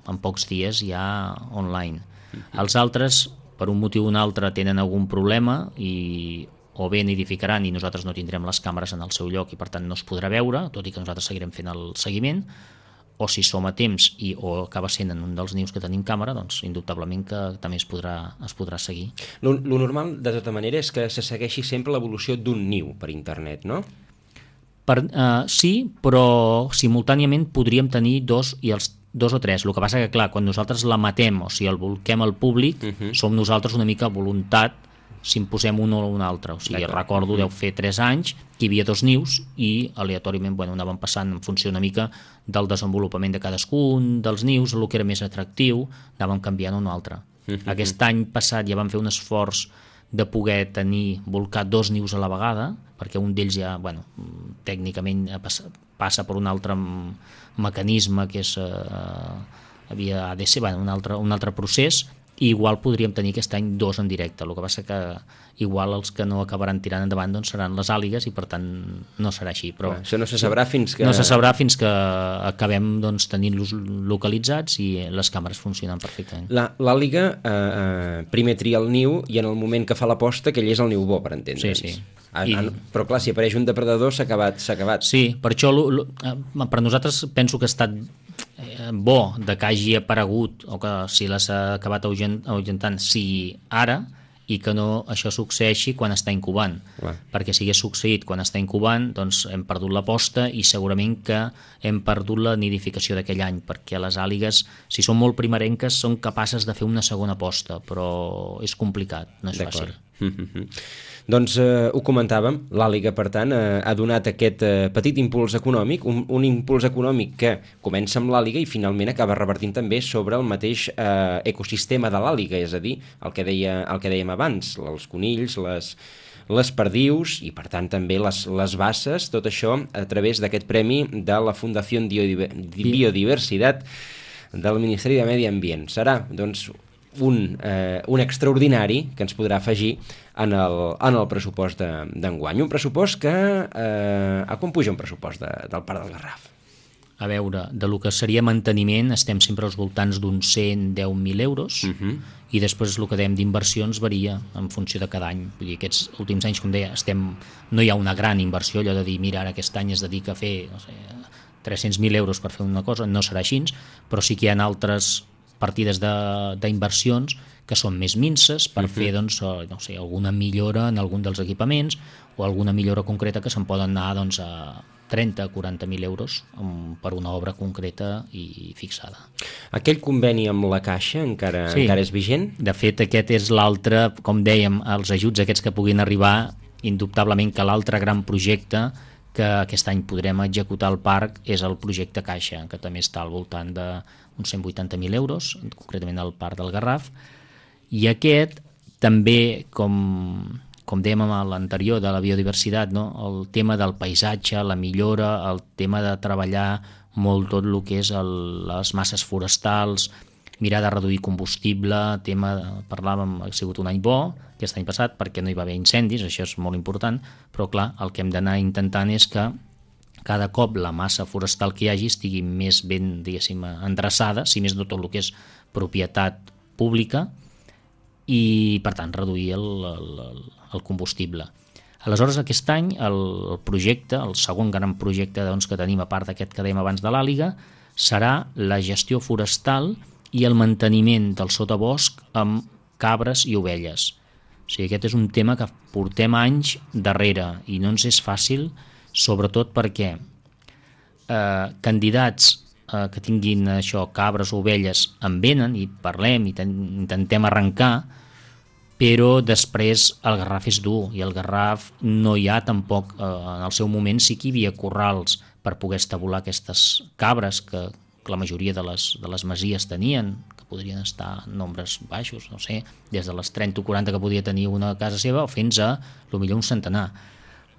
en pocs dies ja online. Uh-huh. Els altres, per un motiu o un altre, tenen algun problema i o bé nidificaran i nosaltres no tindrem les càmeres en el seu lloc i per tant no es podrà veure, tot i que nosaltres seguirem fent el seguiment, o si som a temps i, o acaba sent en un dels nius que tenim càmera, doncs indubtablement que també es podrà, es podrà seguir. Lo, lo normal, de tota manera, és que se segueixi sempre l'evolució d'un niu per internet, no? Per, uh, sí, però simultàniament podríem tenir dos i els dos o tres. El que passa que, clar, quan nosaltres la matem, o sigui, el volquem al públic, uh-huh. som nosaltres una mica a voluntat si en posem un o un altre. O sigui, recordo, deu fer tres anys, que hi havia dos nius i aleatòriament, bueno, anàvem passant en funció una mica del desenvolupament de cadascun dels nius, el que era més atractiu, anàvem canviant un altre. Uh-huh. Aquest any passat ja vam fer un esforç de poder tenir, volcar dos nius a la vegada, perquè un d'ells ja, bueno, tècnicament passa, passa per un altre mecanisme que és, eh, havia de ser, bueno, un altre, un altre procés, i igual podríem tenir aquest any dos en directe. El que passa que igual els que no acabaran tirant endavant doncs seran les àligues i per tant no serà així. Però això no se sabrà fins que... No se sabrà fins que acabem doncs, tenint-los localitzats i les càmeres funcionen perfectament. L'àliga eh, eh, primer tria el niu i en el moment que fa la posta aquell és el niu bo, per entendre'ns. Sí, sí. Ah, I... Però clar, si apareix un depredador s'ha acabat, s'ha acabat. Sí, per això lo, lo, per nosaltres penso que ha estat bo de que hagi aparegut o que si l'has acabat ahuyentant sigui ara i que no això succeeixi quan està incubant. Clar. Perquè si hagués succeït quan està incubant, doncs hem perdut la posta i segurament que hem perdut la nidificació d'aquell any, perquè les àligues, si són molt primerenques, són capaces de fer una segona posta, però és complicat, no és fàcil. Doncs eh, ho comentàvem, l'àliga, per tant, eh, ha donat aquest eh, petit impuls econòmic, un, un impuls econòmic que comença amb l'àliga i finalment acaba revertint també sobre el mateix eh, ecosistema de l'àliga, és a dir, el que, deia, el que dèiem abans, els conills, les, les perdius i, per tant, també les, les basses, tot això a través d'aquest premi de la Fundació Biodiversitat del Ministeri de Medi Ambient. Serà, doncs, un, eh, un extraordinari que ens podrà afegir en el, en el pressupost d'enguany. Un pressupost que... Eh, a quan puja un pressupost de, del Parc del Garraf? A veure, de lo que seria manteniment estem sempre als voltants d'uns cent deu mil euros uh-huh. i després el que dèiem d'inversions varia en funció de cada any. Vull dir, aquests últims anys, com deia, estem, no hi ha una gran inversió, allò de dir, mira, ara aquest any es dedica a fer no sé, tres-cents mil euros per fer una cosa, no serà així, però sí que hi ha altres partides d'inversions que són més minces per uh-huh. fer doncs, no sé, alguna millora en algun dels equipaments o alguna millora concreta que se'n poden anar doncs, a trenta a quaranta mil euros per una obra concreta i fixada. Aquell conveni amb la Caixa encara, sí. encara és vigent? De fet, aquest és l'altre, com dèiem, els ajuts aquests que puguin arribar, indubtablement que l'altre gran projecte que aquest any podrem executar al parc és el projecte Caixa, que també està al voltant d'uns cent vuitanta mil euros, concretament al Parc del Garraf, i aquest també, com, com dèiem amb l'anterior de la biodiversitat, no? El tema del paisatge, la millora, el tema de treballar molt tot el que és el, les masses forestals, mirar de reduir combustible, tema, parlàvem, ha sigut un any bo, aquest any passat, perquè no hi va haver incendis, això és molt important, però clar, el que hem d'anar intentant és que cada cop la massa forestal que hi hagi estigui més ben, diguéssim, endreçada, si més no tot el que és propietat pública, i per tant reduir el, el, el combustible. Aleshores, aquest any el, el projecte, el segon gran projecte doncs, que tenim a part d'aquest que dèiem abans de l'àliga, serà la gestió forestal i el manteniment del sotabosc amb cabres i ovelles. O sigui, aquest és un tema que portem anys darrere i no ens és fàcil, sobretot perquè eh, candidats eh, que tinguin això, cabres o ovelles en venen i parlem i ten, intentem arrencar, però després el Garraf és dur i el Garraf no hi ha tampoc, eh, en el seu moment sí que hi havia corrals per poder estabular aquestes cabres que, que la majoria de les, de les masies tenien, que podrien estar en nombres baixos, no sé, des de les trenta o quaranta que podia tenir una casa seva fins a, potser un centenar.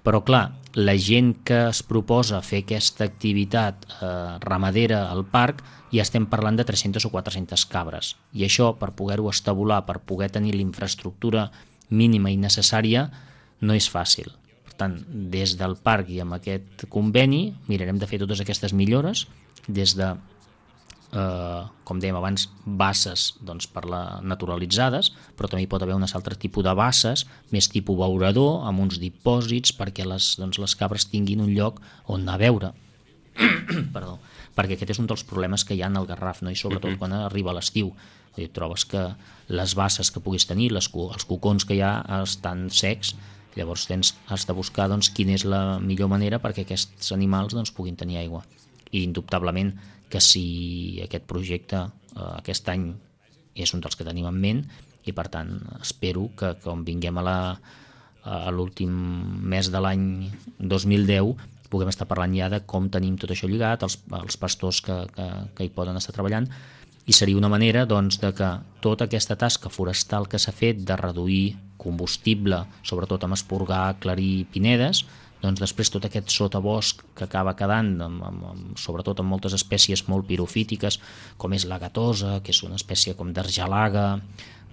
Però clar, la gent que es proposa fer aquesta activitat eh, ramadera al parc ja estem parlant de tres-centes o quatre-centes cabres. I això, per poder-ho estabular, per poder tenir la infraestructura mínima i necessària, no és fàcil. Per tant, des del parc i amb aquest conveni mirarem de fer totes aquestes millores, des de, eh, com dèiem abans, basses doncs, per la naturalitzades, però també hi pot haver un altre tipus de basses, més tipus beurador, amb uns dipòsits, perquè les, doncs, les cabres tinguin un lloc on anar a beure. Perdó, perquè aquest és un dels problemes que hi ha en el Garraf, no? I sobretot uh-huh. quan arriba l'estiu. I trobes que les basses que puguis tenir, les, els cocons que hi ha estan secs, llavors tens, has de buscar doncs, quina és la millor manera perquè aquests animals doncs, puguin tenir aigua. I indubtablement que si aquest projecte eh, aquest any és un dels que tenim en ment, i per tant espero que quan vinguem a la a l'últim mes de l'any dos mil deu puguem estar parlant ja de com tenim tot això lligat, els, els pastors que, que, que hi poden estar treballant, i seria una manera doncs, de que tota aquesta tasca forestal que s'ha fet de reduir combustible, sobretot amb esporgar, aclarir pinedes, doncs després tot aquest sotabosc que acaba quedant, amb, amb, amb, sobretot amb moltes espècies molt pirofítiques, com és la gatosa, que és una espècie com d'argelaga,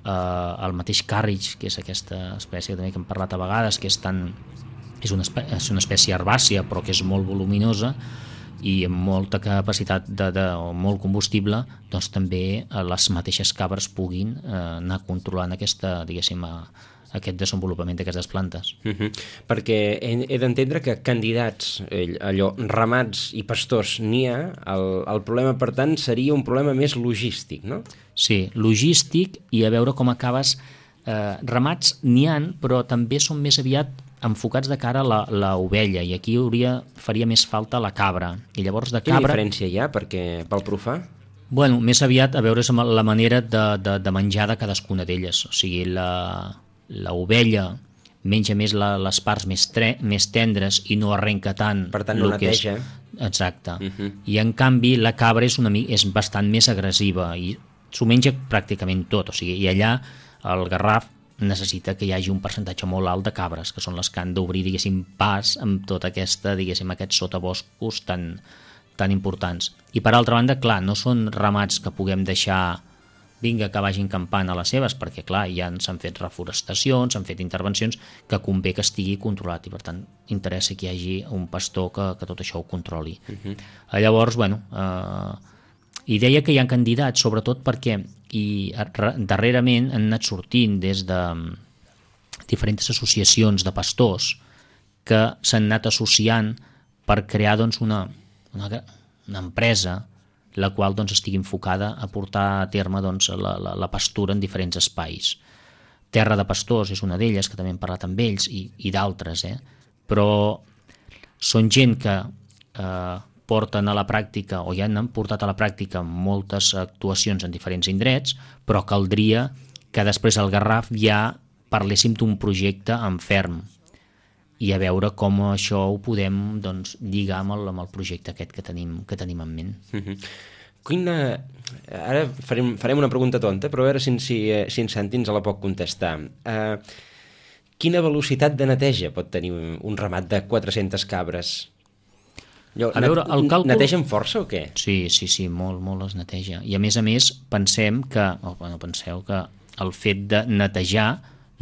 eh, el mateix càrrig, que és aquesta espècie també que hem parlat a vegades, que és, tan, és, una, espècie, és una espècie herbàcia però que és molt voluminosa i amb molta capacitat de, de, o molt combustible, doncs també les mateixes cabres puguin eh, anar controlant aquesta, diguéssim, a, aquest desenvolupament d'aquestes plantes. Uh-huh. Perquè he, he d'entendre que candidats, allò, ramats i pastors n'hi ha, el, el problema, per tant, seria un problema més logístic, no? Sí, logístic, i a veure com acabes. Eh, ramats n'hi ha, però també són més aviat enfocats de cara a l'ovella, i aquí hauria, faria més falta la cabra. I llavors de cabra... Quina diferència hi ha perquè, pel profà? Bueno, més aviat a veure la manera de, de, de menjar de cadascuna d'elles. O sigui, la... la ovella menja més la, les parts més, tre, més tendres i no arrenca tant. Per tant, no neteja. És, exacte. Uh-huh. I en canvi la cabra és, una, és bastant més agressiva i s'ho menja pràcticament tot. O sigui, i allà el Garraf necessita que hi hagi un percentatge molt alt de cabres, que són les que han d'obrir, diguéssim, pas amb tota aquesta, diguéssim, aquests sotaboscos tan, tan importants. I per altra banda, clar, no són ramats que puguem deixar vinga que vagin campant a les seves, perquè clar, ja s'han fet reforestacions, s'han fet intervencions que convé que estigui controlat i per tant interessa que hi hagi un pastor que, que tot això ho controli. Uh-huh. Llavors, bueno, eh, i deia que hi ha candidats, sobretot perquè i darrerament han anat sortint des de diferents associacions de pastors que s'han anat associant per crear doncs, una, una, una empresa la qual doncs, estigui enfocada a portar a terme doncs, la, la, la pastura en diferents espais. Terra de Pastors és una d'elles, que també hem parlat amb ells, i, i d'altres, eh? Però són gent que eh, porten a la pràctica, o ja han portat a la pràctica moltes actuacions en diferents indrets, però caldria que després al Garraf ja parléssim d'un projecte en ferm, i a veure com això ho podem doncs, lligar amb el, amb el projecte aquest que tenim, que tenim en ment. Uh-huh. Quina... Ara farem, farem una pregunta tonta, però a veure si, si, si en Santi ens la pot contestar. Uh, quina velocitat de neteja pot tenir un ramat de quatre-centes cabres? Allò, a veure, el càlcul... Netegen força o què? Sí, sí, sí, molt, molt es neteja. I a més a més, pensem que, oh, bueno, penseu que el fet de netejar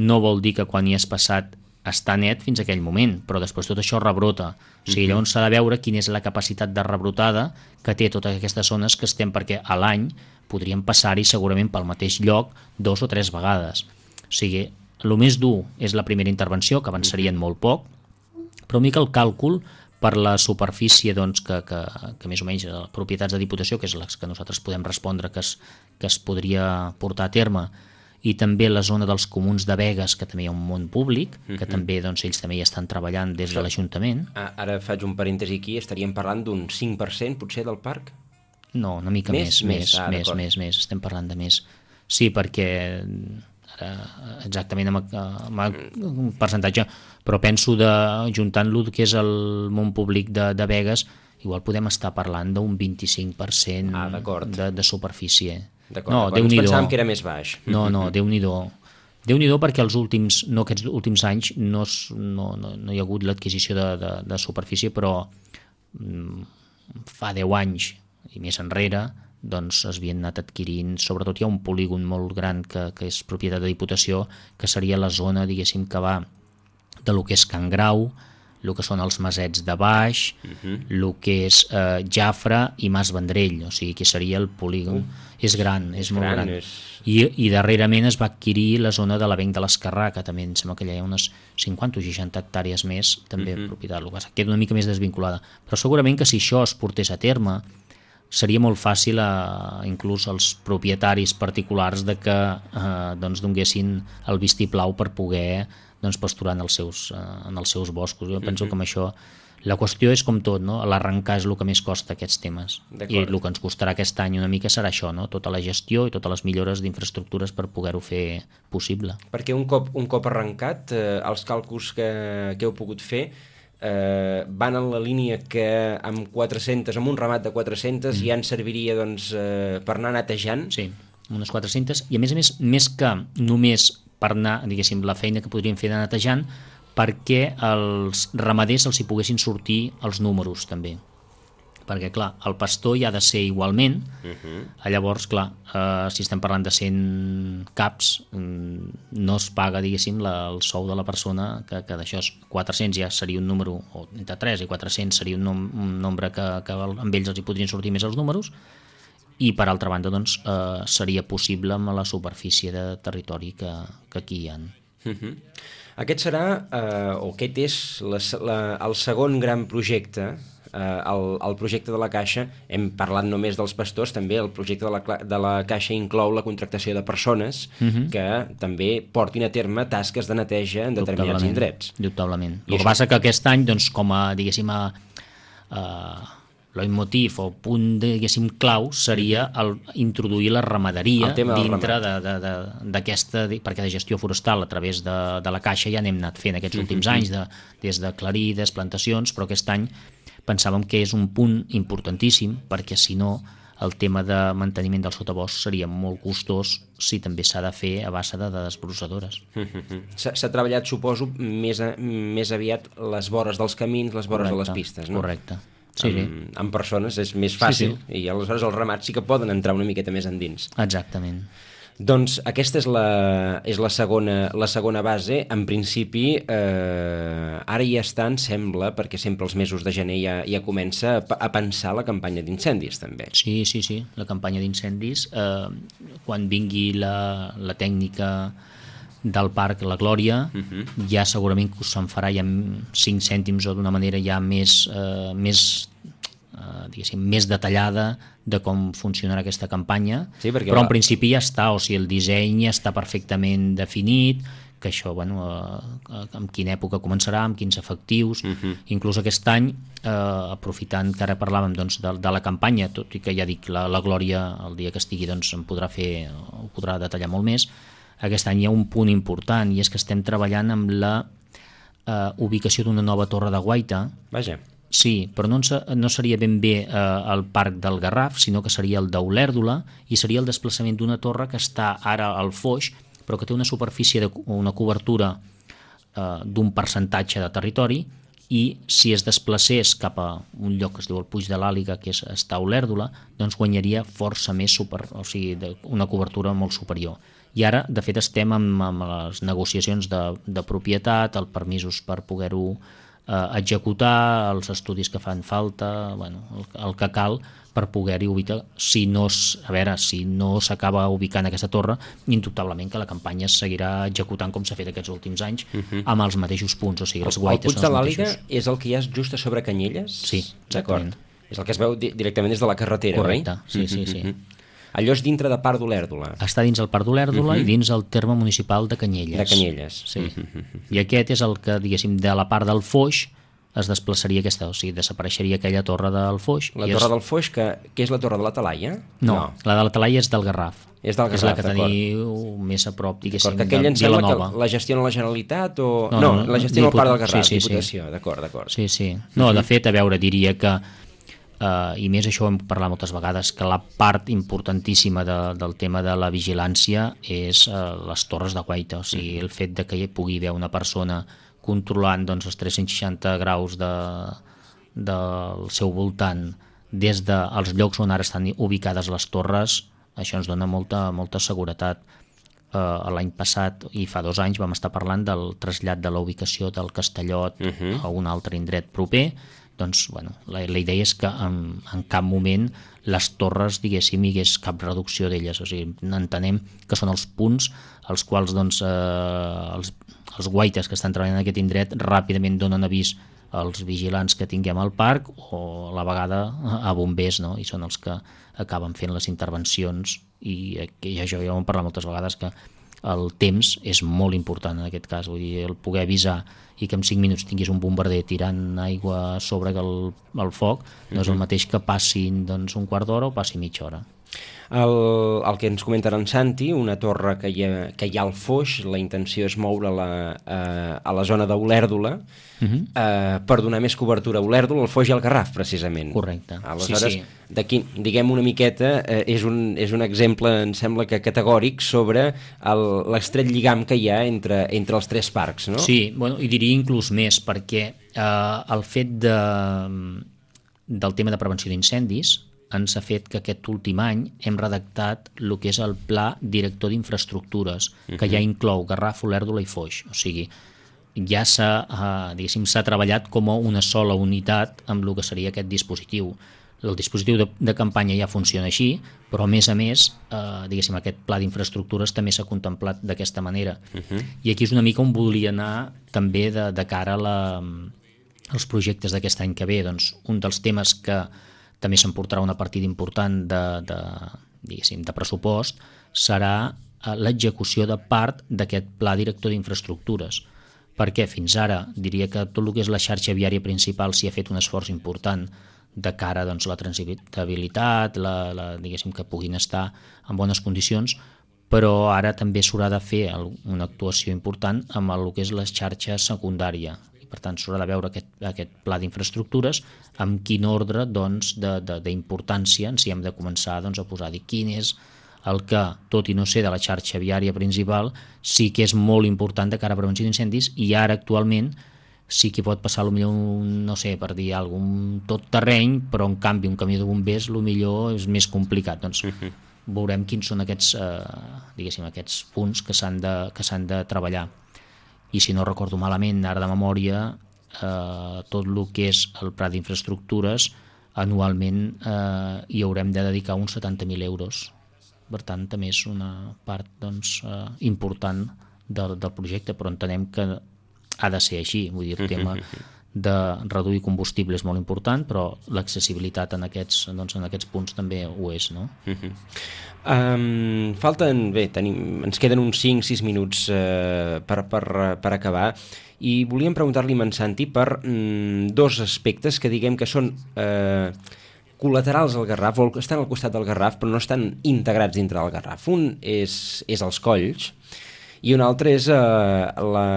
no vol dir que quan hi has passat està net fins a aquell moment, però després tot això rebrota. O sigui, llavors s'ha de veure quina és la capacitat de rebrotada que té totes aquestes zones que estem, perquè a l'any podríem passar-hi segurament pel mateix lloc dos o tres vegades. O sigui, el més dur és la primera intervenció, que avançarien molt poc, però una mica el càlcul per la superfície doncs, que, que, que més o menys les propietats de Diputació, que és les que nosaltres podem respondre que es, que es podria portar a terme, i també la zona dels comuns de Begues, que també hi ha un món públic, que uh-huh. també doncs, ells també hi estan treballant des de l'Ajuntament. Ara faig un parèntesi aquí, estaríem parlant d'un cinc per cent potser del parc? No, una mica més, més, més, ah, més, més, més, estem parlant de més. Sí, perquè ara exactament amb, amb un percentatge, però penso de juntant-lo que és el món públic de, de Begues, igual podem estar parlant d'un vint-i-cinc per cent ah, de, de superfície. D'acord, no, d'acord. Ens pensàvem que era més baix. No, no, Déu-n'hi-do. Déu-n'hi-do perquè els últims, no aquests últims anys no, no, no, no hi ha hagut l'adquisició de, de, de superfície, però mm, fa deu anys i més enrere doncs s'havien anat adquirint, sobretot hi ha un polígon molt gran que, que és propietat de Diputació, que seria la zona, diguéssim, que va de lo que és Can Grau, el que són els Masets de Baix, el uh-huh. que és eh, Jafre i Mas Vendrell, o sigui, que seria el polígon. Uh. És gran, és, és molt gran. gran. És... I, I darrerament es va adquirir la zona de l'Avenc de l'Esquerrà, que també em sembla que hi ha unes cinquanta o seixanta hectàrees més, també uh-huh. propietat local. Queda una mica més desvinculada. Però segurament que si això es portés a terme, seria molt fàcil a, inclús als propietaris particulars de que eh, doncs, donguessin el vistiplau per poder doncs, pasturar en els seus, eh, en els seus boscos. Jo penso uh-huh. que amb això la qüestió és com tot, no? L'arrencar és el que més costa aquests temes. I el que ens costarà aquest any una mica serà això, no? Tota la gestió i totes les millores d'infraestructures per poder-ho fer possible. Perquè un cop, un cop arrencat, eh, els càlculs que, que heu pogut fer eh, van en la línia que amb quatre-centes, amb un ramat de quatre-centes mm. ja en serviria doncs, eh, per anar netejant? Sí, unes quatre-centes, i a més a més, més que només per anar, diguéssim, la feina que podríem fer de netejant, perquè els ramaders els hi poguessin sortir els números també, perquè clar, el pastor hi ha de ser igualment, uh-huh. llavors clar, eh, si estem parlant de cent caps no es paga, diguéssim, la, el sou de la persona, que, que d'això quatre-cents ja seria un número, o entre tres i quatre-cents seria un, nom, un nombre que, que amb ells els hi podrien sortir més els números, i per altra banda doncs, eh, seria possible amb la superfície de territori que, que aquí hi ha. Uh-huh. Aquest serà, eh, o aquest és la, la, el segon gran projecte, eh, el, el projecte de la Caixa. Hem parlat només dels pastors, també el projecte de la, de la Caixa inclou la contractació de persones uh-huh. que també portin a terme tasques de neteja en determinats indrets. Dubtablement. El que això... passa que aquest any, doncs, com a, diguéssim, a, a leitmotiv o punt, diguéssim, clau seria el, introduir la ramaderia dintre d'aquesta, perquè de gestió forestal a través de, de la Caixa ja n'hem anat fent aquests últims anys, de, des de clarides, plantacions, però aquest any pensàvem que és un punt importantíssim, perquè si no el tema de manteniment del sotabosc seria molt costós si també s'ha de fer a base de, de desbrossadores. S'ha treballat, suposo, més, a, més aviat les vores dels camins, les vores correcte, de les pistes, no? Correcte. Sí, sí. Amb, amb persones és més fàcil, sí, sí. I aleshores els ramats sí que poden entrar una miqueta més endins. Exactament. Doncs aquesta és la, és la, segona, la segona base. En principi, eh, ara ja està, em sembla, perquè sempre els mesos de gener ja, ja comença a, a pensar la campanya d'incendis, també. Sí, sí, sí, la campanya d'incendis. Eh, quan vingui la, la tècnica del parc La Glòria, uh-huh. ja segurament que se'n farà ja cinc cèntims o d'una manera ja més, eh, més, eh, diguéssim, més detallada de com funcionarà aquesta campanya, sí, però va... en principi ja està, o sigui, el disseny ja està perfectament definit, que això, bueno, eh, en quina època començarà, amb quins efectius, uh-huh. inclús aquest any, eh, aprofitant que ara parlàvem doncs, de, de la campanya, tot i que ja dic, la, la Glòria, el dia que estigui, doncs, en podrà fer, ho podrà detallar molt més. Aquest any hi ha un punt important, i és que estem treballant amb la eh, ubicació d'una nova torre de guaita. Vaja. Sí, però no, no seria ben bé eh, el parc del Garraf, sinó que seria el d'Olèrdola, i seria el desplaçament d'una torre que està ara al Foix, però que té una superfície, de, una cobertura eh, d'un percentatge de territori, i si es desplacés cap a un lloc que es diu el Puig de l'Àliga, que és, està a Olèrdola, doncs guanyaria força més, super, o sigui, de, una cobertura molt superior. I ara, de fet, estem amb, amb les negociacions de, de propietat, els permisos per poder-ho eh, executar, els estudis que fan falta, bueno, el, el que cal per poder-hi ubicar. Si no, a veure, si no s'acaba ubicant aquesta torre, indubtablement que la campanya es seguirà executant com s'ha fet aquests últims anys, uh-huh. amb els mateixos punts, o sigui, els guaites són els mateixos. El Puig de l'Àliga és el que hi ha just a sobre Canyelles? Sí, exactament. És el que es veu di- directament des de la carretera, correcte, oi? Sí, sí, sí. Uh-huh. Allò és dintre de Parc d'Olèrdola. Està dins el Parc d'Olèrdola uh-huh. i dins el terme municipal de Canyelles. De Canyelles. Sí. Uh-huh. I aquest és el que, diguéssim, de la part del Foix es desplaçaria aquesta, o sigui, desapareixeria aquella torre del Foix. La torre és... del Foix, que, que és la torre de la Talaia? No, no, la de la Talaia és del Garraf. És del Garraf, és la que teniu més a prop, diguéssim, de Vilanova. Aquella em sembla que la gestiona la Generalitat o... No, no, no la gestiona el Parc del Garraf, sí, sí, Diputació, sí. D'acord, d'acord. Sí, sí. No, de fet, a veure, diria que Uh, i més això ho hem parlat moltes vegades, que la part importantíssima de, del tema de la vigilància és uh, les torres de guaita, o sigui, el fet de que hi pugui haver una persona controlant doncs, els tres-cents seixanta graus de, del seu voltant des dels llocs on ara estan ubicades les torres, això ens dona molta, molta seguretat. Uh, l'any passat i fa dos anys vam estar parlant del trasllat de la ubicació del Castellot uh-huh. a un altre indret proper. Doncs, bueno, la, la idea és que en, en cap moment les torres, diguéssim, hi hagués cap reducció d'elles. O sigui, entenem que són els punts als quals doncs, eh, els, els guaites que estan treballant en aquest indret ràpidament donen avís als vigilants que tinguem al parc o a la vegada a bombers, no? I són els que acaben fent les intervencions i ja jo ja ho hem parlat moltes vegades que el temps és molt important en aquest cas, vull dir, el poder avisar i que en cinc minuts tinguis un bombarder tirant aigua sobre el, el foc no és el mateix que passin doncs, un quart d'hora o passi mitja hora. El, el que ens comenta en Santi, una torre que hi ha, que hi ha al Foix, la intenció és moure-la eh, a la zona d'Olèrdola uh-huh. eh, per donar més cobertura a Olèrdola, al Foix i al Garraf, precisament. Correcte. Aleshores, sí, sí. d'aquí, diguem una miqueta, eh, és, un, és un exemple, em sembla que categòric, sobre l'estret lligam que hi ha entre, entre els tres parcs, no? Sí, bueno, i diria inclús més, perquè eh, el fet de, del tema de prevenció d'incendis ens ha fet que aquest últim any hem redactat el que és el Pla Director d'Infraestructures, uh-huh. que ja inclou Garraf, Olèrdola i Foix. O sigui, ja s'ha eh, diguéssim, s'ha treballat com a una sola unitat amb el que seria aquest dispositiu. El dispositiu de, de campanya ja funciona així, però a més a més, eh, diguéssim, aquest pla d'infraestructures també s'ha contemplat d'aquesta manera. Uh-huh. I aquí és una mica on volia anar també de, de cara a la, als projectes d'aquest any que ve. Doncs, un dels temes que també s'emportarà una partida important de, de, diguéssim, de pressupost serà l'execució de part d'aquest pla director d'infraestructures, perquè fins ara diria que tot el que és la xarxa viària principal s'hi ha fet un esforç important de cara doncs, a la transitabilitat, la, la, diguéssim, que puguin estar en bones condicions, però ara també s'haurà de fer una actuació important amb el que és la xarxa secundària. Per tant, s'haurà de veure aquest, aquest pla d'infraestructures amb quin ordre doncs, d'importància ens hi hem de començar doncs, a posar. Dir quin és el que, tot i no ser de la xarxa viària principal, sí que és molt important de cara a prevenció d'incendis i ara actualment sí que pot passar potser un, no sé, per dir alguna cosa, un tot terreny, però en canvi un camió de bombers potser és més complicat. Doncs uh-huh. veurem quins són aquests, eh, diguéssim, aquests punts que s'han de, que s'han de treballar. I si no recordo malament, ara de memòria, eh, tot el que és el pla d'infraestructures, anualment eh, hi haurem de dedicar uns setanta mil euros. Per tant, també és una part doncs, eh, important del, del projecte, però entenem que ha de ser així. Vull dir, el tema de reduir combustible és molt important, però l'accessibilitat en aquests, doncs, en aquests punts també ho és, no? Uh-huh. Um, falten, bé, tenim, ens queden uns cinc sis minuts uh, per, per, per acabar i volíem preguntar-li a en Santi per mm, dos aspectes que diguem que són uh, col·laterals al Garraf, o estan al costat del Garraf però no estan integrats dintre del Garraf. Un és, és els colls i un altre és, uh, la,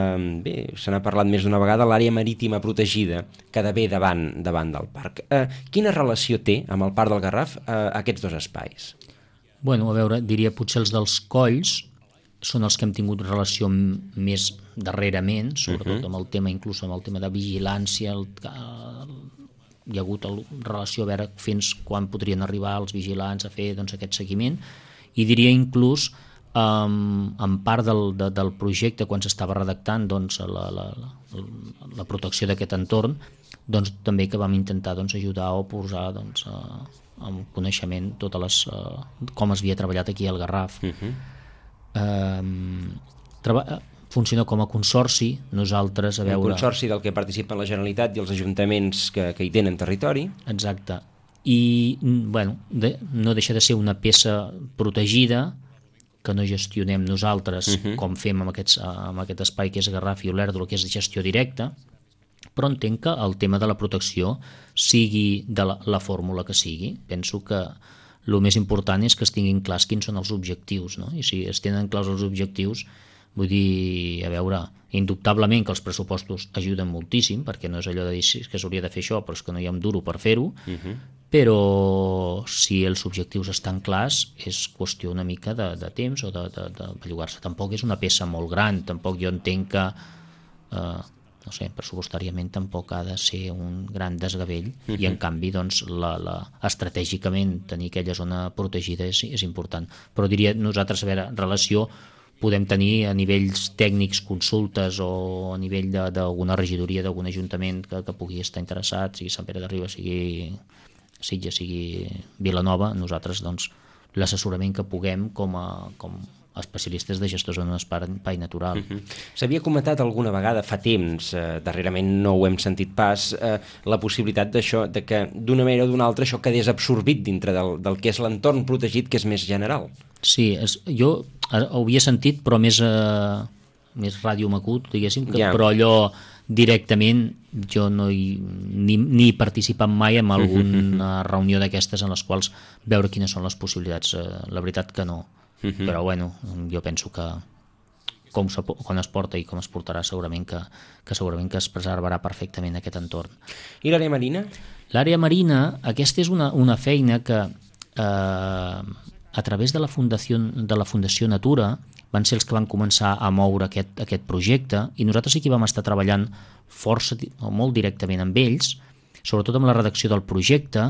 bé, se n'ha parlat més d'una vegada, l'àrea marítima protegida que ve davant, davant del parc. Uh, quina relació té amb el parc del Garraf uh, aquests dos espais? Bueno, a veure, diria potser els dels colls són els que hem tingut relació més darrerament, sobretot uh-huh. amb el tema, inclús amb el tema de vigilància, el, el, hi ha hagut el, relació a veure fins quan podrien arribar els vigilants a fer doncs, aquest seguiment, i diria inclús um, en part del, de, del projecte quan s'estava redactant doncs, la, la, la, la protecció d'aquest entorn, doncs, també que vam intentar doncs, ajudar o posar doncs, uh, amb coneixement totes les, uh, com es havia treballat aquí al Garraf. Uh-huh. uh, treba, funciona com a consorci, nosaltres a veure... Un consorci del que participen la Generalitat i els ajuntaments que, que hi tenen territori. Exacte. I bueno, de, no deixa de ser una peça protegida que no gestionem nosaltres uh-huh. com fem amb, aquests, amb aquest espai que és Garraf i Olèrdola, que és de gestió directa, però entenc que el tema de la protecció sigui de la, la fórmula que sigui. Penso que el més important és que es tinguin clars quins són els objectius, no? I si es tenen clars els objectius, vull dir, a veure, indubtablement que els pressupostos ajuden moltíssim, perquè no és allò de dir que s'hauria de fer això, però és que no hi ha un duro per fer-ho, uh-huh. però si els objectius estan clars és qüestió una mica de, de temps o de, de, de bellugar-se. Tampoc és una peça molt gran, tampoc jo entenc que... Eh, no sé, pressupostàriament tampoc ha de ser un gran desgavell uh-huh. i en canvi doncs, la, la, estratègicament tenir aquella zona protegida és, és important, però diria nosaltres a veure, relació podem tenir a nivells tècnics consultes o a nivell d'alguna regidoria d'algun ajuntament que, que pugui estar interessat, sigui Sant Pere de Ribes, sigui Sitges, sigui Vilanova, nosaltres doncs l'assessorament que puguem com a, com a especialistes de gestors en un espai natural. Uh-huh. S'havia comentat alguna vegada fa temps, eh, darrerament no ho hem sentit pas, eh, la possibilitat d'això, de que d'una manera o d'una altra això quedés absorbit dintre del, del que és l'entorn protegit, que és més general. Sí, és, jo ho havia sentit, però més, eh, més ràdio macut, diguéssim, que, yeah. però allò directament jo no hi, ni, ni he participat mai en alguna reunió d'aquestes en les quals veure quines són les possibilitats. Eh, la veritat que no, uh-huh. però bueno, jo penso que com, com es porta i com es portarà segurament que, que segurament que es preservarà perfectament aquest entorn. I l'àrea marina? L'àrea marina, aquesta és una, una feina que eh, a través de la Fundació, de la Fundació Natura van ser els que van començar a moure aquest, aquest projecte i nosaltres sí que vam estar treballant força o molt directament amb ells, sobretot amb la redacció del projecte,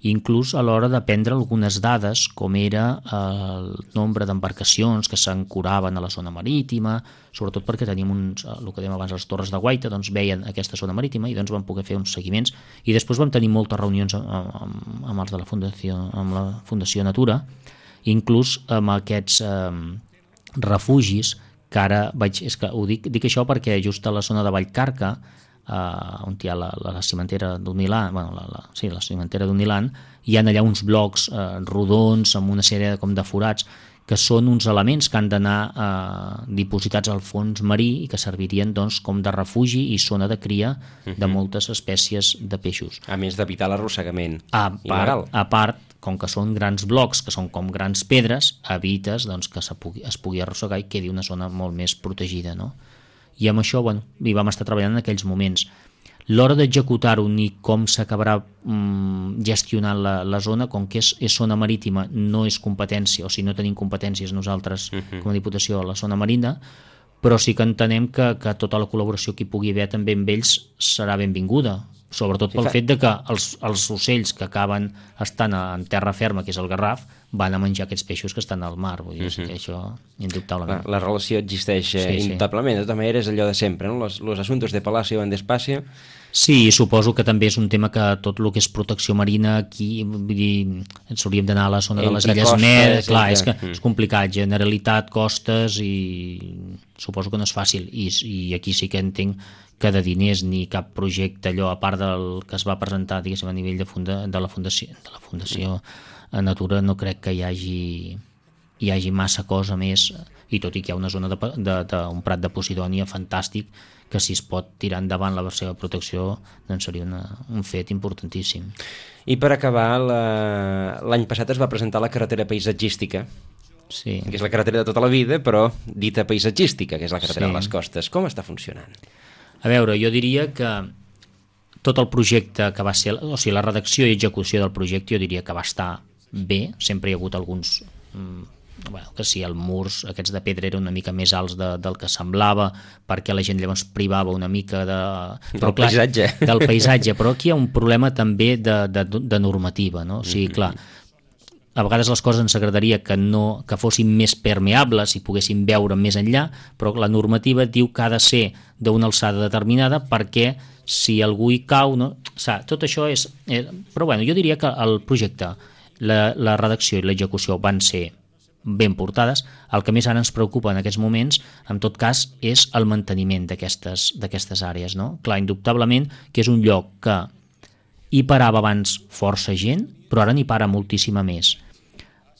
inclús a l'hora de prendre algunes dades com era el nombre d'embarcacions que s'ancoraven a la zona marítima, sobretot perquè teníem uns, el que dèiem abans, les torres de guaita, doncs veien aquesta zona marítima i doncs vam poder fer uns seguiments i després vam tenir moltes reunions amb, amb, amb els de la Fundació, amb la Fundació Natura, inclús amb aquests eh, refugis que ara vaig, és que ho dic, dic això perquè just a la zona de Vallcarca, Uh, on hi ha la, la, la cimentera d'un Milà, bueno, la, la, sí, la cimentera d'un Milà, hi ha allà uns blocs uh, rodons amb una sèrie de, com de forats que són uns elements que han d'anar uh, dipositats al fons marí i que servirien doncs, com de refugi i zona de cria uh-huh. de moltes espècies de peixos. A més d'evitar l'arrossegament. A part, a part, com que són grans blocs, que són com grans pedres, evites doncs, que pugui, es pugui arrossegar i quedi una zona molt més protegida, no? I amb això bueno, hi vam estar treballant en aquells moments. L'hora d'executar-ho ni com s'acabarà mm, gestionant la, la zona, com que és, és zona marítima, no és competència, o si no tenim competències nosaltres uh-huh. com a Diputació a la zona marina, però sí que entenem que, que tota la col·laboració que hi pugui haver també amb ells serà benvinguda, sobretot pel fet de que els, els ocells que acaben estant en terra ferma, que és el garraf, van a menjar aquests peixos que estan al mar, vull dir, uh-huh. que això indubtablement. La, la relació existeix sí, indubtablement, sí. De tota manera és allò de sempre, no? Los, los asuntos de palacio van despacio. Sí, suposo que també és un tema que tot el que és protecció marina aquí, vull dir, ens hauríem d'anar a la zona de les Illes Med, clar, és que és complicat, Generalitat, costes i suposo que no és fàcil i, i aquí sí que entenc que de diners ni cap projecte allò a part del que es va presentar diguéssim a nivell de, funda, de la Fundació de la Fundació a Natura no crec que hi hagi hi hagi massa cosa més i tot i que hi ha una zona d'un de, de, de prat de Posidònia fantàstic que si es pot tirar endavant la seva protecció doncs seria una, un fet importantíssim. I per acabar, l'any passat es va presentar la carretera paisatgística, sí. que és la carretera de tota la vida, però dita paisatgística, que és la carretera sí. de les costes. Com està funcionant? A veure, jo diria que tot el projecte que va ser, o sigui, la redacció i execució del projecte jo diria que va estar bé, sempre hi ha hagut alguns bueno, que si els murs aquests de pedra eren una mica més alts de, del que semblava perquè la gent llavors privava una mica de, però, del clar, paisatge del paisatge, però aquí hi ha un problema també de, de, de normativa, no? O sigui, clar, a vegades les coses ens agradaria que, no, que fossin més permeables i poguéssim veure més enllà, però la normativa diu que ha de ser d'una alçada determinada perquè si algú hi cau, no? O sigui, tot això és... Eh, però bueno, jo diria que el projecte La, la redacció i l'execució van ser ben portades. El que més ara ens preocupa en aquests moments, en tot cas, és el manteniment d'aquestes d'aquestes àrees, no? Clar, indubtablement que és un lloc que hi parava abans força gent, però ara n'hi para moltíssima més.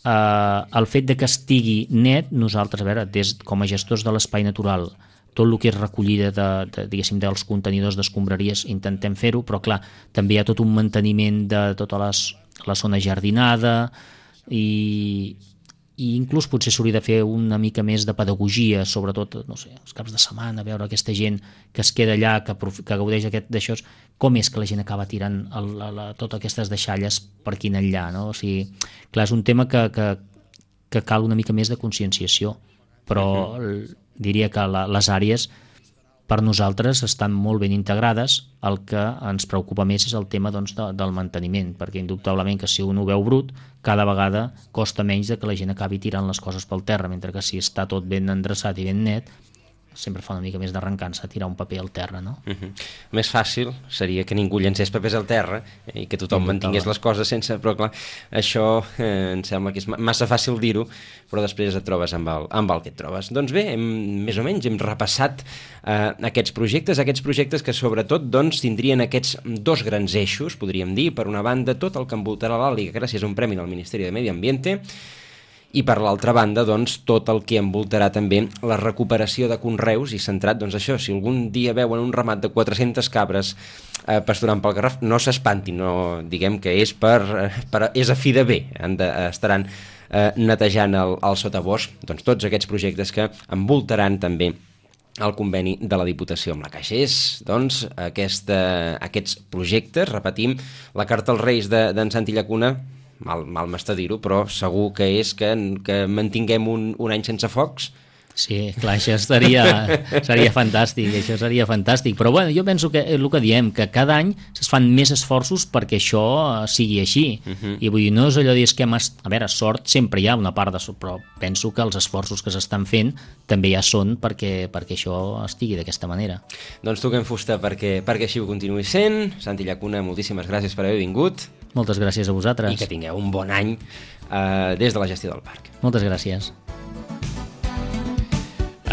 Uh, el fet de que estigui net, nosaltres, a veure, des, com a gestors de l'espai natural, tot el que és recollida de, de, diguéssim, dels contenidors d'escombraries intentem fer-ho, però clar, també hi ha tot un manteniment de tota les, la zona jardinada i, i inclús potser s'hauria de fer una mica més de pedagogia, sobretot, no sé, els caps de setmana, veure aquesta gent que es queda allà, que, que gaudeix aquest d'això, com és que la gent acaba tirant el, la, la, totes aquestes deixalles per aquí enllà, no? O sigui, clar, és un tema que, que, que cal una mica més de conscienciació, però uh-huh. diria que la, les àrees per nosaltres estan molt ben integrades. El que ens preocupa més és el tema doncs, de, del manteniment, perquè indubtablement que si un ho veu brut, cada vegada costa menys de que la gent acabi tirant les coses pel terra, mentre que si està tot ben endreçat i ben net, sempre fa una mica més d'arrencança tirar un paper al terra, no? Uh-huh. Més fàcil seria que ningú llencés papers al terra i que tothom mantingués les coses sense... Però clar, això eh, em sembla que és massa fàcil dir-ho, però després et trobes amb el, amb el que et trobes. Doncs bé, hem, més o menys hem repassat eh, aquests projectes, aquests projectes que sobretot doncs, tindrien aquests dos grans eixos, podríem dir, per una banda tot el que envoltarà l'Àliga gràcies a un premi del Ministeri de Medi Ambiente, i per l'altra banda, doncs, tot el que envoltarà també la recuperació de conreus i centrat, doncs això, si algun dia veuen un ramat de quatre-centes cabres eh, pasturant pel Garraf, no s'espantin, no, diguem que és per, per és a fi de bé, han de, estaran eh, netejant el, el sotabosc, doncs tots aquests projectes que envoltaran també el conveni de la Diputació amb la Caixa. És, doncs, aquesta, aquests projectes, repetim, la carta als Reis d'en de, Santi Llacuna, mal, mal m'està dir-ho, però segur que és que, que mantinguem un, un any sense focs. Sí, clar, això estaria, seria fantàstic, això seria fantàstic, però bueno, jo penso que el que diem, que cada any es fan més esforços perquè això sigui així, uh-huh. I vull dir, no és allò de dir que, a veure, sort sempre hi ha una part de sort, però penso que els esforços que s'estan fent també ja són perquè, perquè això estigui d'aquesta manera. Doncs toquem fusta perquè, perquè així ho continuï sent. Santi Llacuna, moltíssimes gràcies per haver vingut. Moltes gràcies a vosaltres. I que tingueu un bon any eh, des de la gestió del parc. Moltes gràcies.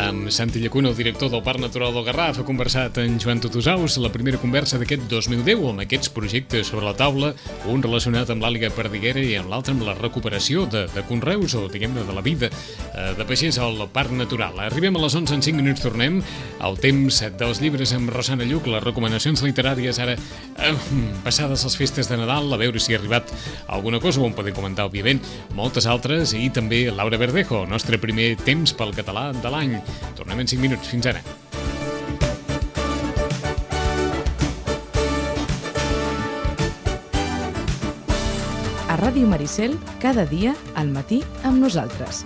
Amb Santi Llacuna, el director del Parc Natural del Garraf, ha conversat en Joan Tutusaus la primera conversa d'aquest dos mil deu amb aquests projectes sobre la taula, un relacionat amb l'àliga perdiguera i amb l'altre amb la recuperació de, de conreus o, diguem-ne, de la vida eh, de pagès al Parc Natural. Arribem a les onze en cinc minuts, tornem al temps dels llibres amb Rosana Lluc, les recomanacions literàries ara eh, passades les festes de Nadal, a veure si ha arribat alguna cosa, ho en podem comentar, òbviament, moltes altres, i també Laura Verdejo, el nostre primer temps pel català de l'any. Tornem en cinc minuts. Fins ara. A Ràdio Maricel, cada dia al matí amb nosaltres.